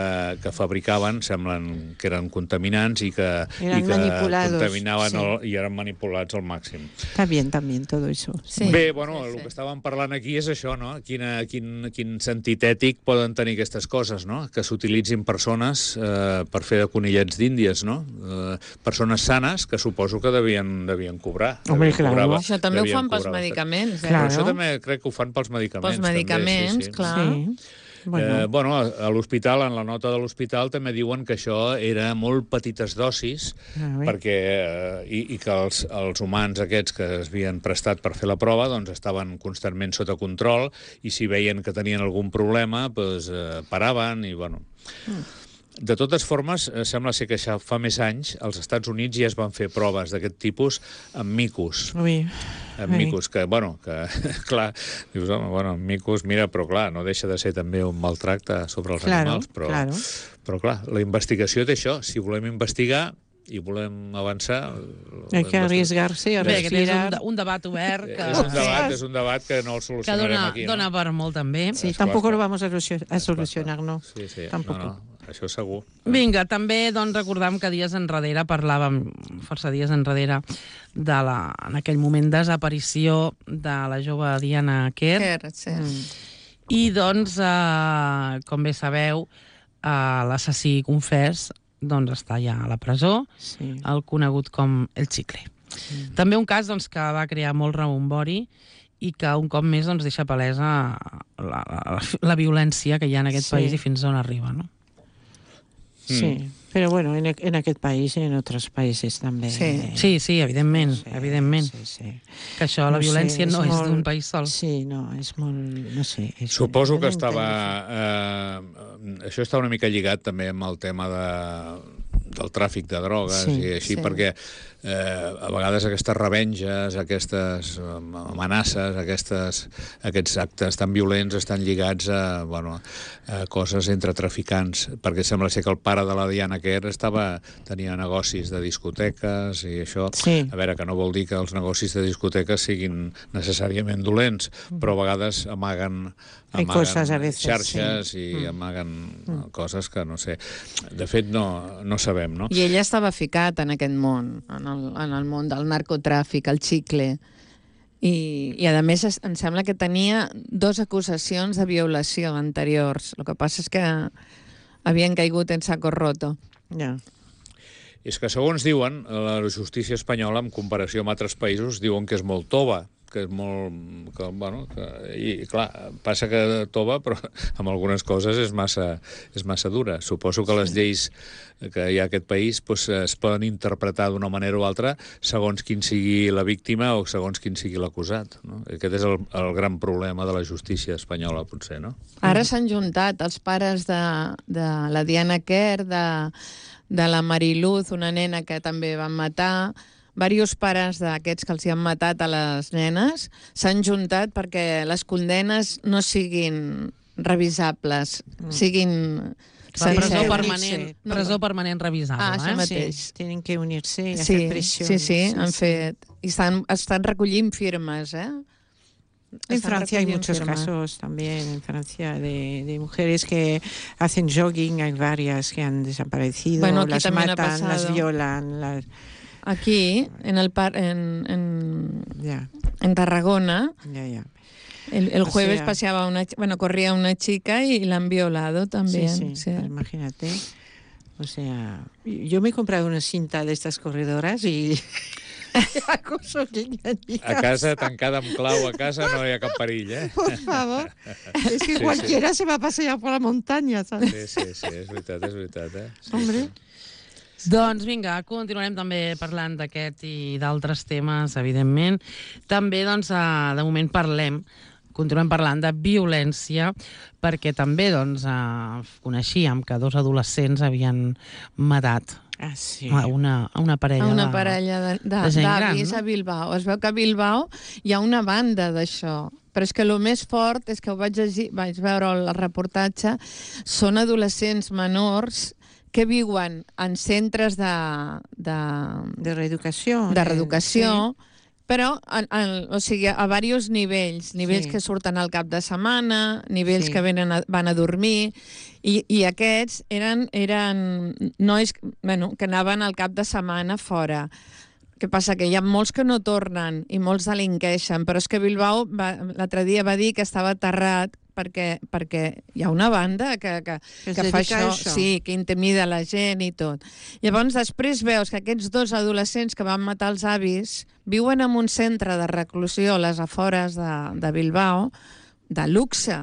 que fabricaven semblen que eren contaminants i que, i que contaminaven sí. el, i eren manipulats al màxim. Está bien también todo eso. Sí. Bé, bueno, sí, sí. el que estàvem parlant aquí és això, no? Quina, quin, quin sentit ètic poden tenir aquestes coses, no? Que s'utilitzin persones eh, per fer de conillets d'Índies, no? Eh, persones sanes que suposo que devien, devien cobrar. Home, devien claro. cobrava, això també ho fan pels medicaments. Eh? Claro. Això també crec que ho fan pels medicaments. Pels medicaments, també, sí, sí. clar. Sí. Bueno, eh, bueno a l'hospital, en la nota de l'hospital, també diuen que això era molt petites dosis, ah, perquè, eh, i, i que els, els humans aquests que es havien prestat per fer la prova doncs estaven constantment sota control, i si veien que tenien algun problema, doncs, eh, paraven, i bueno... Mm. De totes formes, sembla ser que ja fa més anys als Estats Units ja es van fer proves d'aquest tipus amb micos. Ui. Amb micos, que, bueno, que, clar, dius, home, bueno, micos, mira, però clar, no deixa de ser també un maltracte sobre els claro, animals, però, claro. però clar, la investigació té això. Si volem investigar i volem avançar... Hay que arriesgarse a respirar. És un, un debat obert que... És un debat, és un debat que no el solucionarem que dona, aquí. Dona no? per molt, també. Sí, tampoc lo vamos a solucionar, no. Sí, sí, tampoc. no, no. Això segur. Vinga, també doncs, recordam que dies enrere parlàvem, força dies enrere, de la, en aquell moment, desaparició de la jove Diana Quer. Quer, sí. Mm. I, doncs, eh, com bé sabeu, eh, l'assassí confés doncs, està ja a la presó, sí. el conegut com el Chicle. Mm. També un cas doncs, que va crear molt rebombori i que un cop més doncs, deixa palesa la, la, la violència que hi ha en aquest sí. país i fins on arriba, no? Sí, mm. però bueno, en, en aquest país i en altres països també. Sí, sí, sí evidentment, sí, evidentment. Sí, sí. Que això, la no violència sé, és no molt, és d'un país sol. Sí, no, és molt... no sé. És Suposo que estava... Eh, això està una mica lligat també amb el tema de, del tràfic de drogues sí, i així, sí. perquè eh, a vegades aquestes revenges, aquestes amenaces, aquestes, aquests actes tan violents estan lligats a, bueno, a coses entre traficants, perquè sembla ser que el pare de la Diana Quer estava, tenia negocis de discoteques i això, sí. a veure, que no vol dir que els negocis de discoteques siguin necessàriament dolents, però a vegades amaguen, amaguen coses a veces, xarxes sí. i mm. amaguen mm. coses que no sé. De fet, no, no sabem, no? I ella estava ficat en aquest món, en el, en el món del narcotràfic, el xicle. I, i a més, em sembla que tenia dues acusacions de violació anteriors. El que passa és que havien caigut en saco roto. Ja. És que, segons diuen, la justícia espanyola, en comparació amb altres països, diuen que és molt tova, que és molt... Que, bueno, que, i, clar, passa que tova, però amb algunes coses és massa, és massa dura. Suposo que les lleis que hi ha a aquest país pues, es poden interpretar d'una manera o altra segons quin sigui la víctima o segons quin sigui l'acusat. No? Aquest és el, el gran problema de la justícia espanyola, potser, no? Ara s'han juntat els pares de, de la Diana Quer, de, de la Mariluz, una nena que també van matar... Diversos pares d'aquests que els hi han matat a les nenes s'han juntat perquè les condenes no siguin revisables, mm. siguin Presó unirse. permanent, presó permanent revisable. Ah, això eh? mateix. Sí, tienen que unirse y Sí, hacer presión. sí, sí, han fet... I estan, estan recollint firmes, eh? En Estan Francia hay recollint muchos firmes. casos también, en Francia, de, de mujeres que hacen jogging, hay varias que han desaparecido, Bueno, aquí las también ha matan, las pasado. violan, las... Aquí, en, el par, en, en, Ya, en Tarragona, ya, ya. el, el O jueves sea- paseaba una, ch- bueno, corría una chica y la han violado también. Sí, sí, sí. pues imagínate. O sea, yo me he comprado una cinta de estas corredoras y... hago jogging en mi A casa, tancada amb clau a casa, no hi ha cap perill, eh? Por favor. Es que Sí, cualquiera se va a pasear por la montaña, ¿sabes? Sí, sí, sí, és veritat, és veritat, eh? Sí, Hombre. sí. Doncs vinga, continuarem també parlant d'aquest i d'altres temes, evidentment. També, doncs, eh, de moment parlem, continuem parlant de violència, perquè també, doncs, eh, coneixíem que dos adolescents havien matat Ah, sí. a una, a una parella A una de- parella de- de- de gent gran, d'avis no? a Bilbao. Es veu que a Bilbao hi ha una banda d'això. Però és que el més fort és que ho vaig, llegir, vaig veure el reportatge, són adolescents menors que viuen en centres de, de, De reeducación. de eh, reeducació, però en, en, o sigui, a diversos nivells. Nivells Sí. que surten al cap de setmana, nivells Sí. que venen a, van a dormir, i, i aquests eren, eren nois bueno, que anaven al cap de setmana fora. Què passa? Que hi ha molts que no tornen i molts delinqueixen, però és que Bilbao va- l'altre dia va dir que estava aterrat perquè, perquè hi ha una banda que, que, Que es que fa dedica a això, això. sí, que intimida la gent i tot. Llavors, després veus que aquests dos adolescents que van matar els avis viuen en un centre de reclusió a les afores de, de Bilbao, de luxe,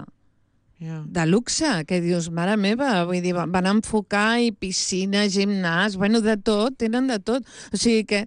Ja. de luxe, que dius, mare meva, vull dir, van enfocar i piscina, gimnàs, bueno, de tot, tenen de tot. O sigui que,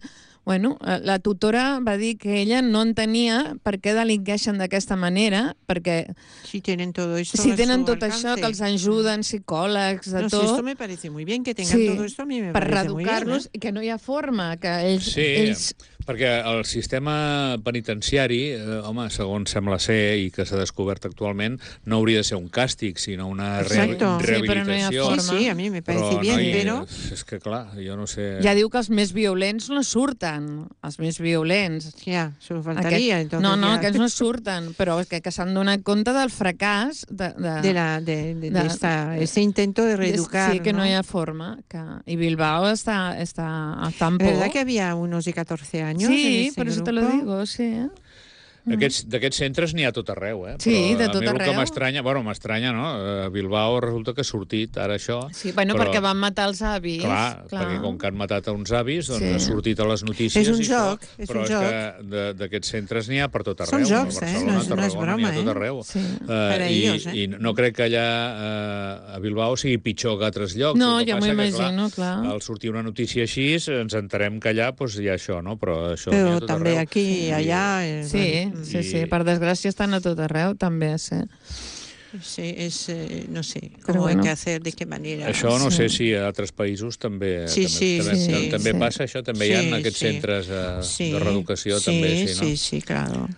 bueno, la tutora va dir que ella no entenia per què delinqueixen d'aquesta manera, perquè Si tienen todo esto si a tenen su tot això, que els alcance. ajuden psicòlegs, de No, si tot, esto me parece muy bien, que tengan sí, todo esto a mí me per parece muy bien. reeducar-los, ¿eh? i que no hi ha forma, que ells... Sí, ells perquè el sistema penitenciari, eh, home, segons sembla ser i que s'ha descobert actualment, no hauria de ser un càstig, sinó una re Exacto. Sí, però no hi ha rehabilitació. forma. Sí, sí, a mí me parece Però, bien, noi, pero... és que clar, jo no sé... ja diu que els més violents no surten, els més violents. Ya, solo faltaría. Aquest- entonces no, no, ya. aquests no surten, però és que, que s'han donat compte del fracàs de, de, De, la, de, de, de de- esta, este intento de reeducar. sí, que no, ¿no? hi ha forma. Que, I Bilbao està, està a tan ¿Verdad por. que había unos de catorce años? Sí, en ese por eso te lo grupo? digo, sí. D'aquests d'aquests centres n'hi ha a tot arreu, eh? Sí, Però de a tot mi el que arreu. m'estranya, bueno, m'estranya, no? A Bilbao resulta que ha sortit ara això. Sí, bueno, però, perquè van matar els avis. Clar, perquè com que han matat a uns avis, doncs Sí. ha sortit a les notícies És un i això, joc, és però un és joc. que de- d'aquests centres n'hi ha per tot arreu. Són jocs, a eh? Barcelona, No és- no és Tarragona, broma, n'hi ha a tot eh? arreu. Sí. Eh, Per a i, ells, eh? I no crec que allà eh, a Bilbao sigui pitjor que a altres llocs. No, El que ja passa m'ho que, clar, imagino, clar. Al sortir una notícia així, ens enterem que allà doncs, hi ha això, no? Però això n'hi ha a Pero tot también arreu. aquí, I- allá... eh, Sí, bueno, sí, I- sí, per desgràcia estan a tot arreu, també, sí. sí, es, eh, no sé, Pero cómo bueno. hay que hacer, de qué manera. Això no Sí. sé si a altres països també Sí, també, sí, també, sí, també, també sí. passa això, també hi ha Sí, aquests sí. centres eh, Sí, de reeducació sí, també, sí, no? sí, sí, claro.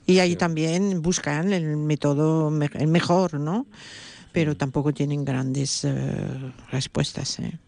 Y ahí también buscan el método, me- el mejor, ¿no? Pero tampoco tienen grandes eh, respuestas, ¿eh?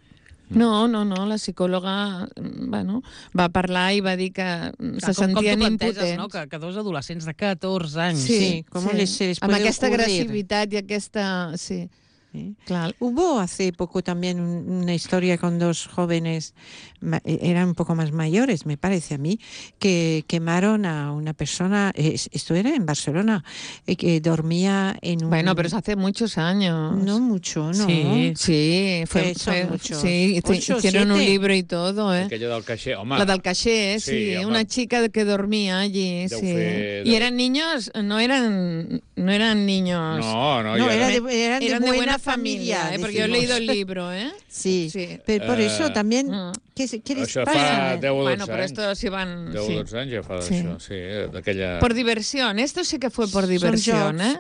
No, no, no, la psicòloga mm, bueno, va parlar i va dir que mm, se Clar, com, com sentien tu planteges, impotents. no? que, que dos adolescents de catorze anys... Sí, ¿cómo les- se les Amb puede aquesta ocurrir? agressivitat i aquesta... Sí, ¿Sí? clar. Hubo hace poco también un- una historia con dos jóvenes, ma- eh, eran un poco más mayores, me parece a mí, que quemaron a una persona, eh, esto era en Barcelona, eh, que dormía en un... Bueno, pero es hace muchos años. No mucho, ¿no? Sí. Sí, fue, Que son fue- muchos. sí, hice- Ocho, hicieron un siete. libro y todo, ¿eh? Aquella del caixer, home... La del caché, sí, Sí, home. una chica que dormía allí, Deu sí. fer- Y deu- eran niños, no eran, no eran niños. No, no, No, ja era era... de, eran de Eran de buena, buena familia, ¿eh? Porque yo he decimos. leído el libro, ¿eh? Sí, Sí. pero por eso Eh, también, mm. ¿qué, se- qué les Això pasa? fa deu o dotze Bueno, pero anys. esto sí van... deu o sí. dotze anys ja fa Sí. d'això, sí, eh, d'aquella... Por diversión, esto sí que fue por Son diversión, jokes. ¿eh?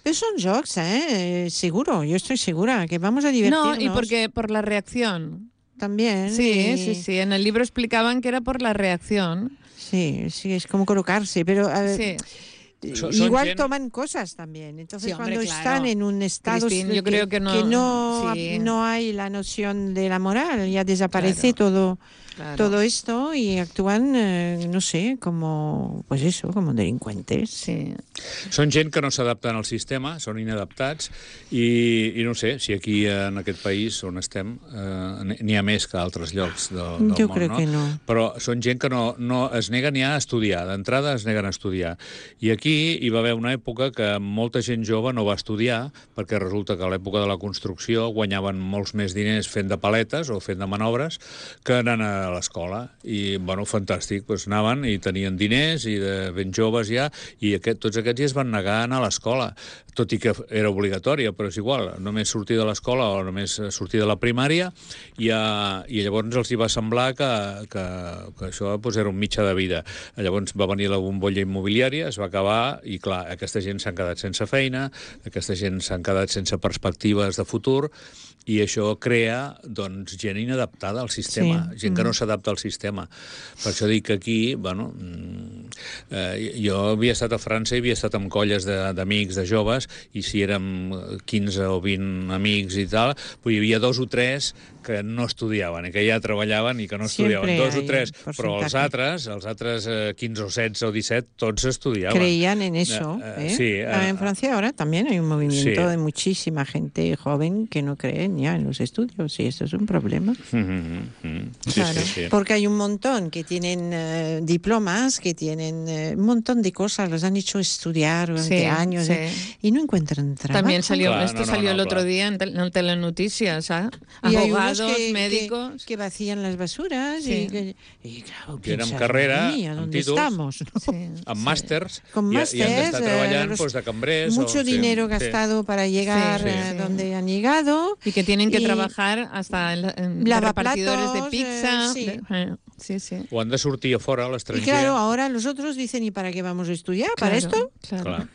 Pero son jokes, ¿eh? Seguro, yo estoy segura que vamos a No, divertirnos. y porque por la reacción. También. Sí, y- sí, sí. En el libro explicaban que era por la reacción. Sí, sí, es como colocarse, pero a ver, Sí. Son, igual gent... toman cosas también. Entonces, Sí, hombre, cuando claro. están en un estado Cristín, yo que, creo que no- que no, sí. no hay la noción de la moral, ya desaparece Claro. todo, Claro. todo esto y actúan, eh, no sé, como, pues eso, como delincuentes. Sí. Són gent que no s'adapten al sistema, són inadaptats, i, i no sé, si aquí en aquest país on estem eh, n'hi ha més que a altres llocs del, del Jo món, crec no? que no. Però són gent que no, no es neguen ja a estudiar, d'entrada es neguen a estudiar. I aquí hi va haver una època que molta gent jove no va estudiar, perquè resulta que a l'època de la construcció guanyaven molts més diners fent de paletes o fent de manobres que anant a l'escola. I, bueno, fantàstic, doncs anaven i tenien diners i de ben joves ja, i aquest, tots aquests ja es van negar a anar a l'escola, tot i que era obligatòria, però és igual, només sortir de l'escola o només sortir de la primària, i, a, i llavors els hi va semblar que, que, que això doncs, era un mitjà de vida. Llavors va venir la bombolla immobiliària, es va acabar, i clar, aquesta gent s'han quedat sense feina, aquesta gent s'han quedat sense perspectives de futur, i això crea doncs, gent inadaptada al sistema, Sí. gent que no s'adapta al sistema. Per això dic que aquí, bueno, eh, jo havia estat a França i havia estat amb colles d'amics, de, de joves, i si érem quinze o vint amics i tal, doncs hi havia dos o tres que no estudiaven, i que ja treballaven i que no estudiaven. Siempre Dos o hay tres, un però els porcentaje. altres, els altres eh, quinze o setze o disset, tots estudiaven. Creían en eso. Eh, ¿eh? eh, sí, eh, en Francia ahora también hay un movimiento sí. de muchísima gente joven que no creen ya en los estudios, y esto es un problema. Mm -hmm, mm. Sí, Claro, sí, sí. porque hay un montón que tienen eh, diplomas, que tienen eh, un montón de cosas, los han hecho estudiar durante Sí, años sí. eh, y no encuentran trabajo. También salió, Claro, esto no, no, salió no, el otro claro. día en, tel en Telenoticias, ¿ah? Y hay Abogados, unos que, médicos... que, que vacían las basuras Sí. y, que, y claro, Que eren piensas, carrera, madre mía, amb ¿dónde títols, estamos? ¿no? Sí. amb màsters, Con i, i han másters, d'estar eh, treballant los- doncs, de cambrers. Mucho o, sí, dinero sí. gastado para llegar Sí, eh, sí. donde han llegado. Y que tienen que Y- trabajar hasta en, en de Lavaplatos, repartidores de eh, pizza. sí. de- eh, sí, sí. O han de sortir a fora, a Y l'estranger. claro, ahora los otros dicen, ¿y para qué vamos a estudiar? ¿Para Claro, esto? Claro. Clar.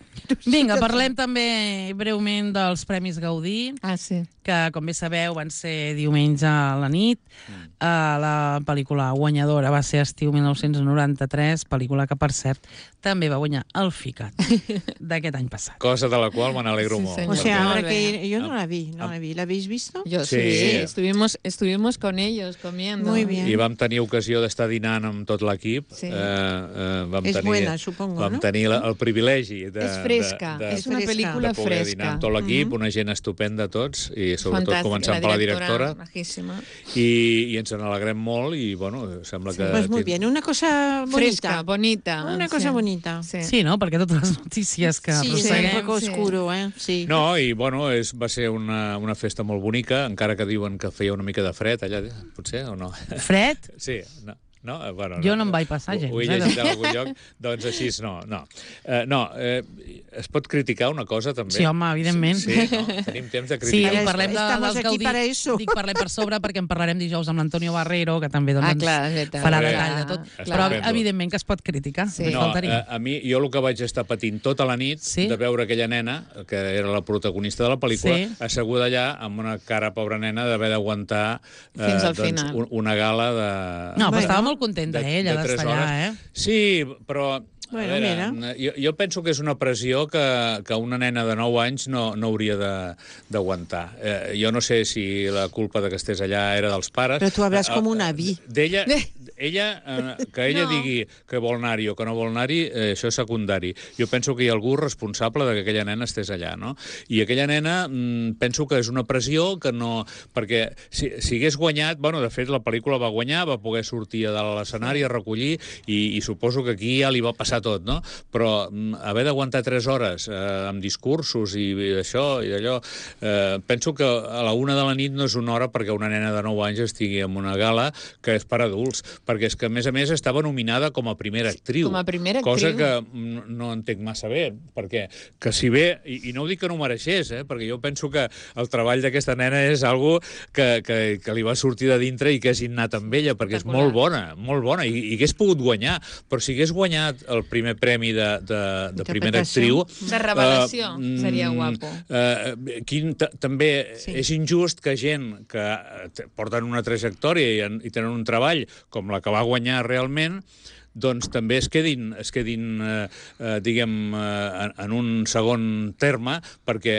Vinga, parlem també breument dels Premis Gaudí, Ah, sí. que, com bé sabeu, van ser diumenge a la nit. Uh, la pel·lícula guanyadora va ser Estiu mil nou-cents noranta-tres, pel·lícula que, per cert, també va guanyar el FICAT d'aquest any passat. Cosa de la qual me n'alegro Sí, molt. senyor. O sea, Muy habrá que bien. ir. Yo no la vi, no la vi. ¿La habéis visto? Yo sí, Sí. estuvimos, estuvimos con ellos comiendo. Muy bien. I vam tenir ocasió d'estar dinant amb tot l'equip. Sí. Eh, eh, vam És tenir, buena, supongo, vam no? tenir la, el privilegi de, Es fresca, de, de, es una fresca. película de poder dinar fresca. amb tot l'equip, Mhm. una gent estupenda tots, i sobretot Fantàstica, començant per la directora, majíssima. i, i ens n'alegrem molt, i bueno, sembla que... Pues muy bien, una cosa bonita. Fresca, bonita. Una cosa sí. bonita. Sí. Sí, no? Perquè totes les notícies que Sí, es arrosseguem... un poco sí. oscuro, ¿eh? Sí. No, i bueno, és, va ser una, una festa molt bonica, encara que diuen que feia una mica de fred allà, potser, o no? Fred? Sí, no. No? Eh, Bueno, Jo no em vaig passar gens, Ho, ho he eh, llegit de- en algun lloc, doncs així no. No, eh, no eh, es pot criticar una cosa, també? Sí, home, evidentment. Sí, sí no? Tenim temps de Sí, criticar. Ara parlem de, estamos dels aquí Gaudí. para eso. Dic, parlem per sobre perquè en parlarem dijous amb l'Antonio Barrero, que també doncs, Ah, ens clar, és veritat. farà Bé, detall de tot. clar. Però, Estupendo. evidentment, que es pot criticar. Sí. només No, faltaria. a, a mi, jo el que vaig estar patint tota la nit, Sí? de veure aquella nena, que era la protagonista de la pel·lícula, Sí. asseguda allà amb una cara, pobra nena, d'haver d'aguantar eh, Fins al doncs, final. un, una gala de... No, però Bueno, estava molt contenta, de- ella, de tres d'estar allà, hores. eh? Sí, però... Bueno, a veure, mira. jo, jo penso que és una pressió que, que una nena de nou anys no, no hauria de- d'aguantar. Eh, jo no sé si la culpa de que estés allà era dels pares. Però tu hablas Eh, com un eh, avi. D'ella, ella, eh, que ella No. digui que vol anar-hi o que no vol anar-hi, eh, això és secundari. Jo penso que hi ha algú responsable de que aquella nena estés allà, no? I aquella nena, mm, penso que és una pressió que no... Perquè si, si hagués guanyat... Bueno, de fet, la pel·lícula va guanyar, va poder sortir a dalt a l'escenari a recollir, i, i suposo que aquí ja li va passar tot, no? Però mm, haver d'aguantar tres hores eh, amb discursos i, i això i d'allò... Eh, penso que a la una de la nit no és una hora perquè una nena de nou anys estigui en una gala que és per adults, perquè és que, a més a més, estava nominada com a primera actriu. com a primera Cosa actriu. que mm, no entenc massa bé, perquè que si bé, i, i no ho dic que no ho mereixés, eh, perquè jo penso que el treball d'aquesta nena és algo que, que, que li va sortir de dintre i que és innat amb ella, perquè és molt bona, molt bona, i, i hagués pogut guanyar, però si hagués guanyat el primer premi de, de, de primera actriu... De revelació, eh, seria mm, guapo. Eh, quin, també Sí. és injust que gent que eh, porten una trajectòria i, en, i tenen un treball com la que va guanyar realment, doncs també es quedin, es quedin eh, eh, diguem, eh, en, en un segon terme, perquè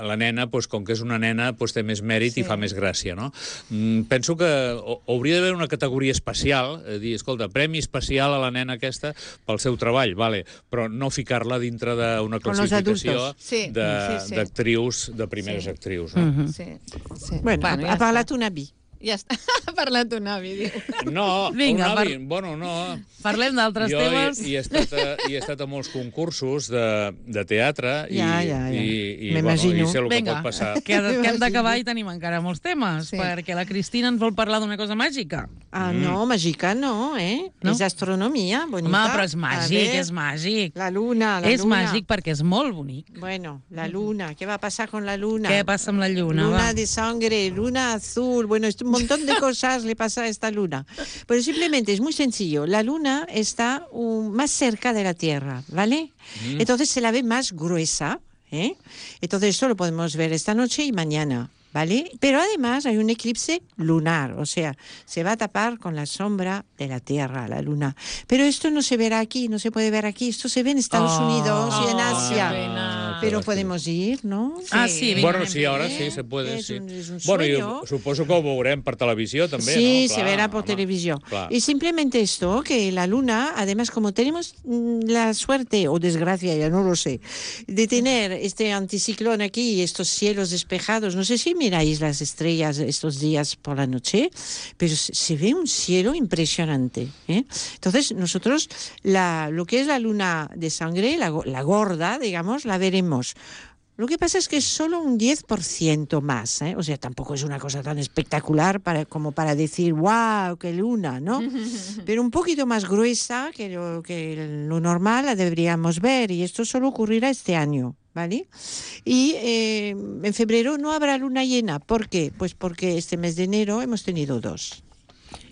la nena, doncs, com que és una nena, doncs, té més mèrit sí. i fa més gràcia, no? Mm, penso que hauria d'haver una categoria especial, eh, dir, escolta, premi especial a la nena aquesta pel seu treball, vale, però no ficar-la dintre d'una classificació sí. d'actrius, sí, sí. de primeres sí. actrius. No? Mm-hmm. Sí, sí. Bueno, bueno ha, ha parlat un avi. Ja està, ha parlat un avi, diu. No, Vinga, un avi, par... bueno, no. Parlem d'altres temes. Jo he, he, estat a, he estat a molts concursos de, de teatre i, ja, ja, ja. i, i, bueno, i sé el Vinga, que pot passar. Que, que hem d'acabar i tenim encara molts temes, sí. perquè la Cristina ens vol parlar d'una cosa màgica. Ah, no, mm. màgica no, eh? No? És astronomia, bonica. Home, però és màgic, és màgic. La luna, la és luna. És màgic perquè és molt bonic. Bueno, la luna, ¿qué va a pasar con la luna? ¿Qué pasa amb la lluna? Luna va? de sangre, luna azul, bueno, un montón de cosas le pasa a esta luna. Pero simplemente es muy sencillo. La luna está um, más cerca de la Tierra, ¿vale? Mm. Entonces se la ve más gruesa, ¿eh? Entonces esto lo podemos ver esta noche y mañana, ¿vale? Pero además hay un eclipse lunar, o sea, se va a tapar con la sombra de la Tierra, la luna. Pero esto no se verá aquí, no se puede ver aquí, esto se ve en Estados oh, Unidos oh, y en Asia. Oh, pero podemos ir, ¿no? Sí. Ah, sí, bueno, sí, ahora sí se puede, es sí. Un, es un bueno, yo suposo que ho veurem per televisió també, sí, ¿no? Sí, se verá por home, televisión. Clar. Y simplemente esto, que la luna, además, como tenemos la suerte, o desgracia, ya no lo sé, de tener este anticiclón aquí y estos cielos despejados, no sé si miráis las estrellas estos días por la noche, pero se ve un cielo impresionante, ¿eh? Entonces, nosotros, la, lo que es la luna de sangre, la, la gorda, digamos, la veremos. Lo que pasa es que es solo un diez por ciento más, ¿eh? O sea, tampoco es una cosa tan espectacular para, como para decir, wow, qué luna, ¿no? Pero un poquito más gruesa que lo, que lo normal la deberíamos ver, y esto solo ocurrirá este año, ¿vale? Y eh, en febrero no habrá luna llena. ¿Por qué? Pues porque este mes de enero hemos tenido dos.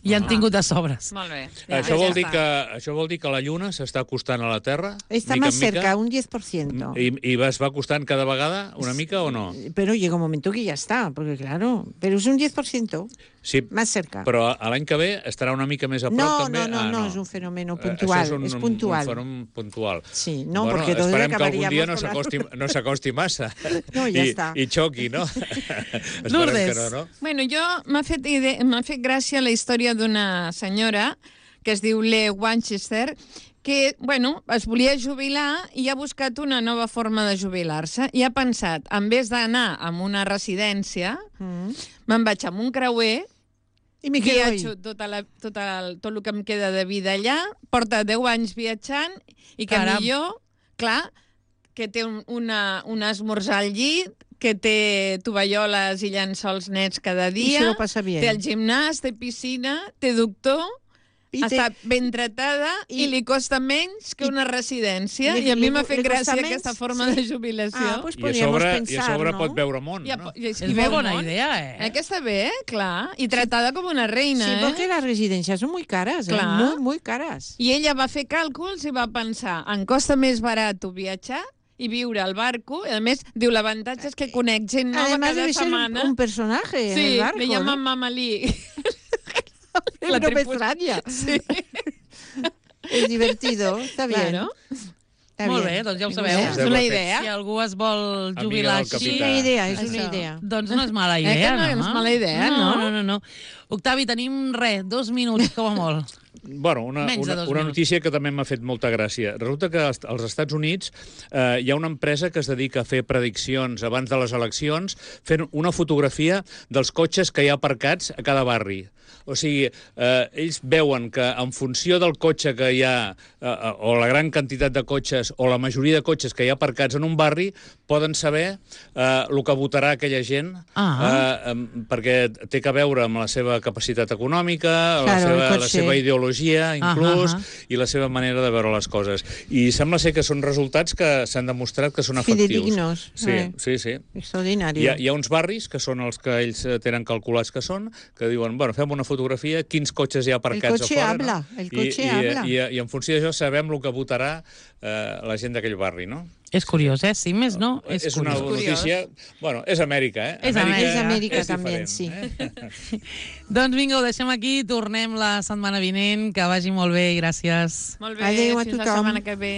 I han tingut de sobres. Molt bé. Ja, això, vol dir que, això vol dir que la Lluna s'està acostant a la Terra? Está mica más cerca, un diez por ciento. ¿Y, y es va acostant cada vegada una mica o no? Pero llega un momento que ya está, porque claro, pero es un diez por ciento. Sí, más cerca. Però l'any que ve estarà una mica més a prop, no, també? No, no, ah, no, no, és un fenomen puntual. És un, és puntual. un fenomen puntual. Sí, no, bueno, porque todos esperem que algun dia no la... s'acosti no s'acosti massa. No, ja I, està. I xoqui, no? Lourdes. No, no? Bueno, jo m'ha fet, m'ha fet gràcia la història d'una senyora que es diu Le Wanchester, que, bueno, es volia jubilar i ha buscat una nova forma de jubilar-se i ha pensat, en vez d'anar a una residència, mm. me'n vaig amb un creuer i m'hi viatjo tot, la, tot, el, tot el que em queda de vida allà, porta deu anys viatjant i que Caram. millor, clar, que té un, una, un esmorzar al llit, que té tovalloles i llençols nets cada dia, té el gimnàs, té piscina, té doctor, I està te... ben tratada i... i li costa menys que una residència. I, I a mi m'ha fet gràcia menys... aquesta forma sí. de jubilació. Ah, pues I, a sobre, pensar, I a sobre no? pot veure món, I a, no? I, és molt bona món. idea, eh? Aquesta bé, clar. I tratada com una reina, sí, eh? Sí, perquè les residències són molt cares, eh? Molt, molt cares. I ella va fer càlculs i va pensar, em costa més barat viatjar i viure al barco. I a més, diu, l'avantatge és que conec gent nova Además, cada setmana. Un personaje sí, en el barco. Sí, le llaman ¿no? Mamalí. La no me extraña. Sí. És divertido, està bé. Claro. Està Molt bé, doncs ja ho sabeu. És una idea. Si algú es vol jubilar així... És una idea, és una idea. Doncs no és mala idea, eh que no? No és mala idea, no? No, no, no. Octavi, tenim, res, dos minuts, com a molt. Bueno, una, una, una notícia que també m'ha fet molta gràcia. Resulta que als Estats Units eh, hi ha una empresa que es dedica a fer prediccions abans de les eleccions fent una fotografia dels cotxes que hi ha aparcats a cada barri. O sigui, eh, ells veuen que en funció del cotxe que hi ha, eh, o la gran quantitat de cotxes, o la majoria de cotxes que hi ha aparcats en un barri, poden saber eh, el que votarà aquella gent, ah. eh, perquè té a veure amb la seva capacitat econòmica, claro, la, seva, la seva ideologia, inclús, ah, ah. i la seva manera de veure les coses. I sembla ser que són resultats que s'han demostrat que són efectius. Fidedignos. Sí, eh. sí, sí. Extraordinari. Hi ha, hi ha uns barris que són els que ells tenen calculats que són, que diuen, bueno, fem una fotografia, quins cotxes hi ha aparcats a fora. Habla, no? El cotxe I, habla. I, i, I en funció d'això sabem el que votarà eh, la gent d'aquell barri, no? És curiós, eh? Si més no, és, és una curiós. notícia... Bueno, és Amèrica, eh? És Amèrica. És Amèrica és també, diferent, sí. Eh? Doncs vinga, ho deixem aquí, tornem la setmana vinent, que vagi molt bé i gràcies. Molt bé, Adéu a fins la tothom. setmana que ve.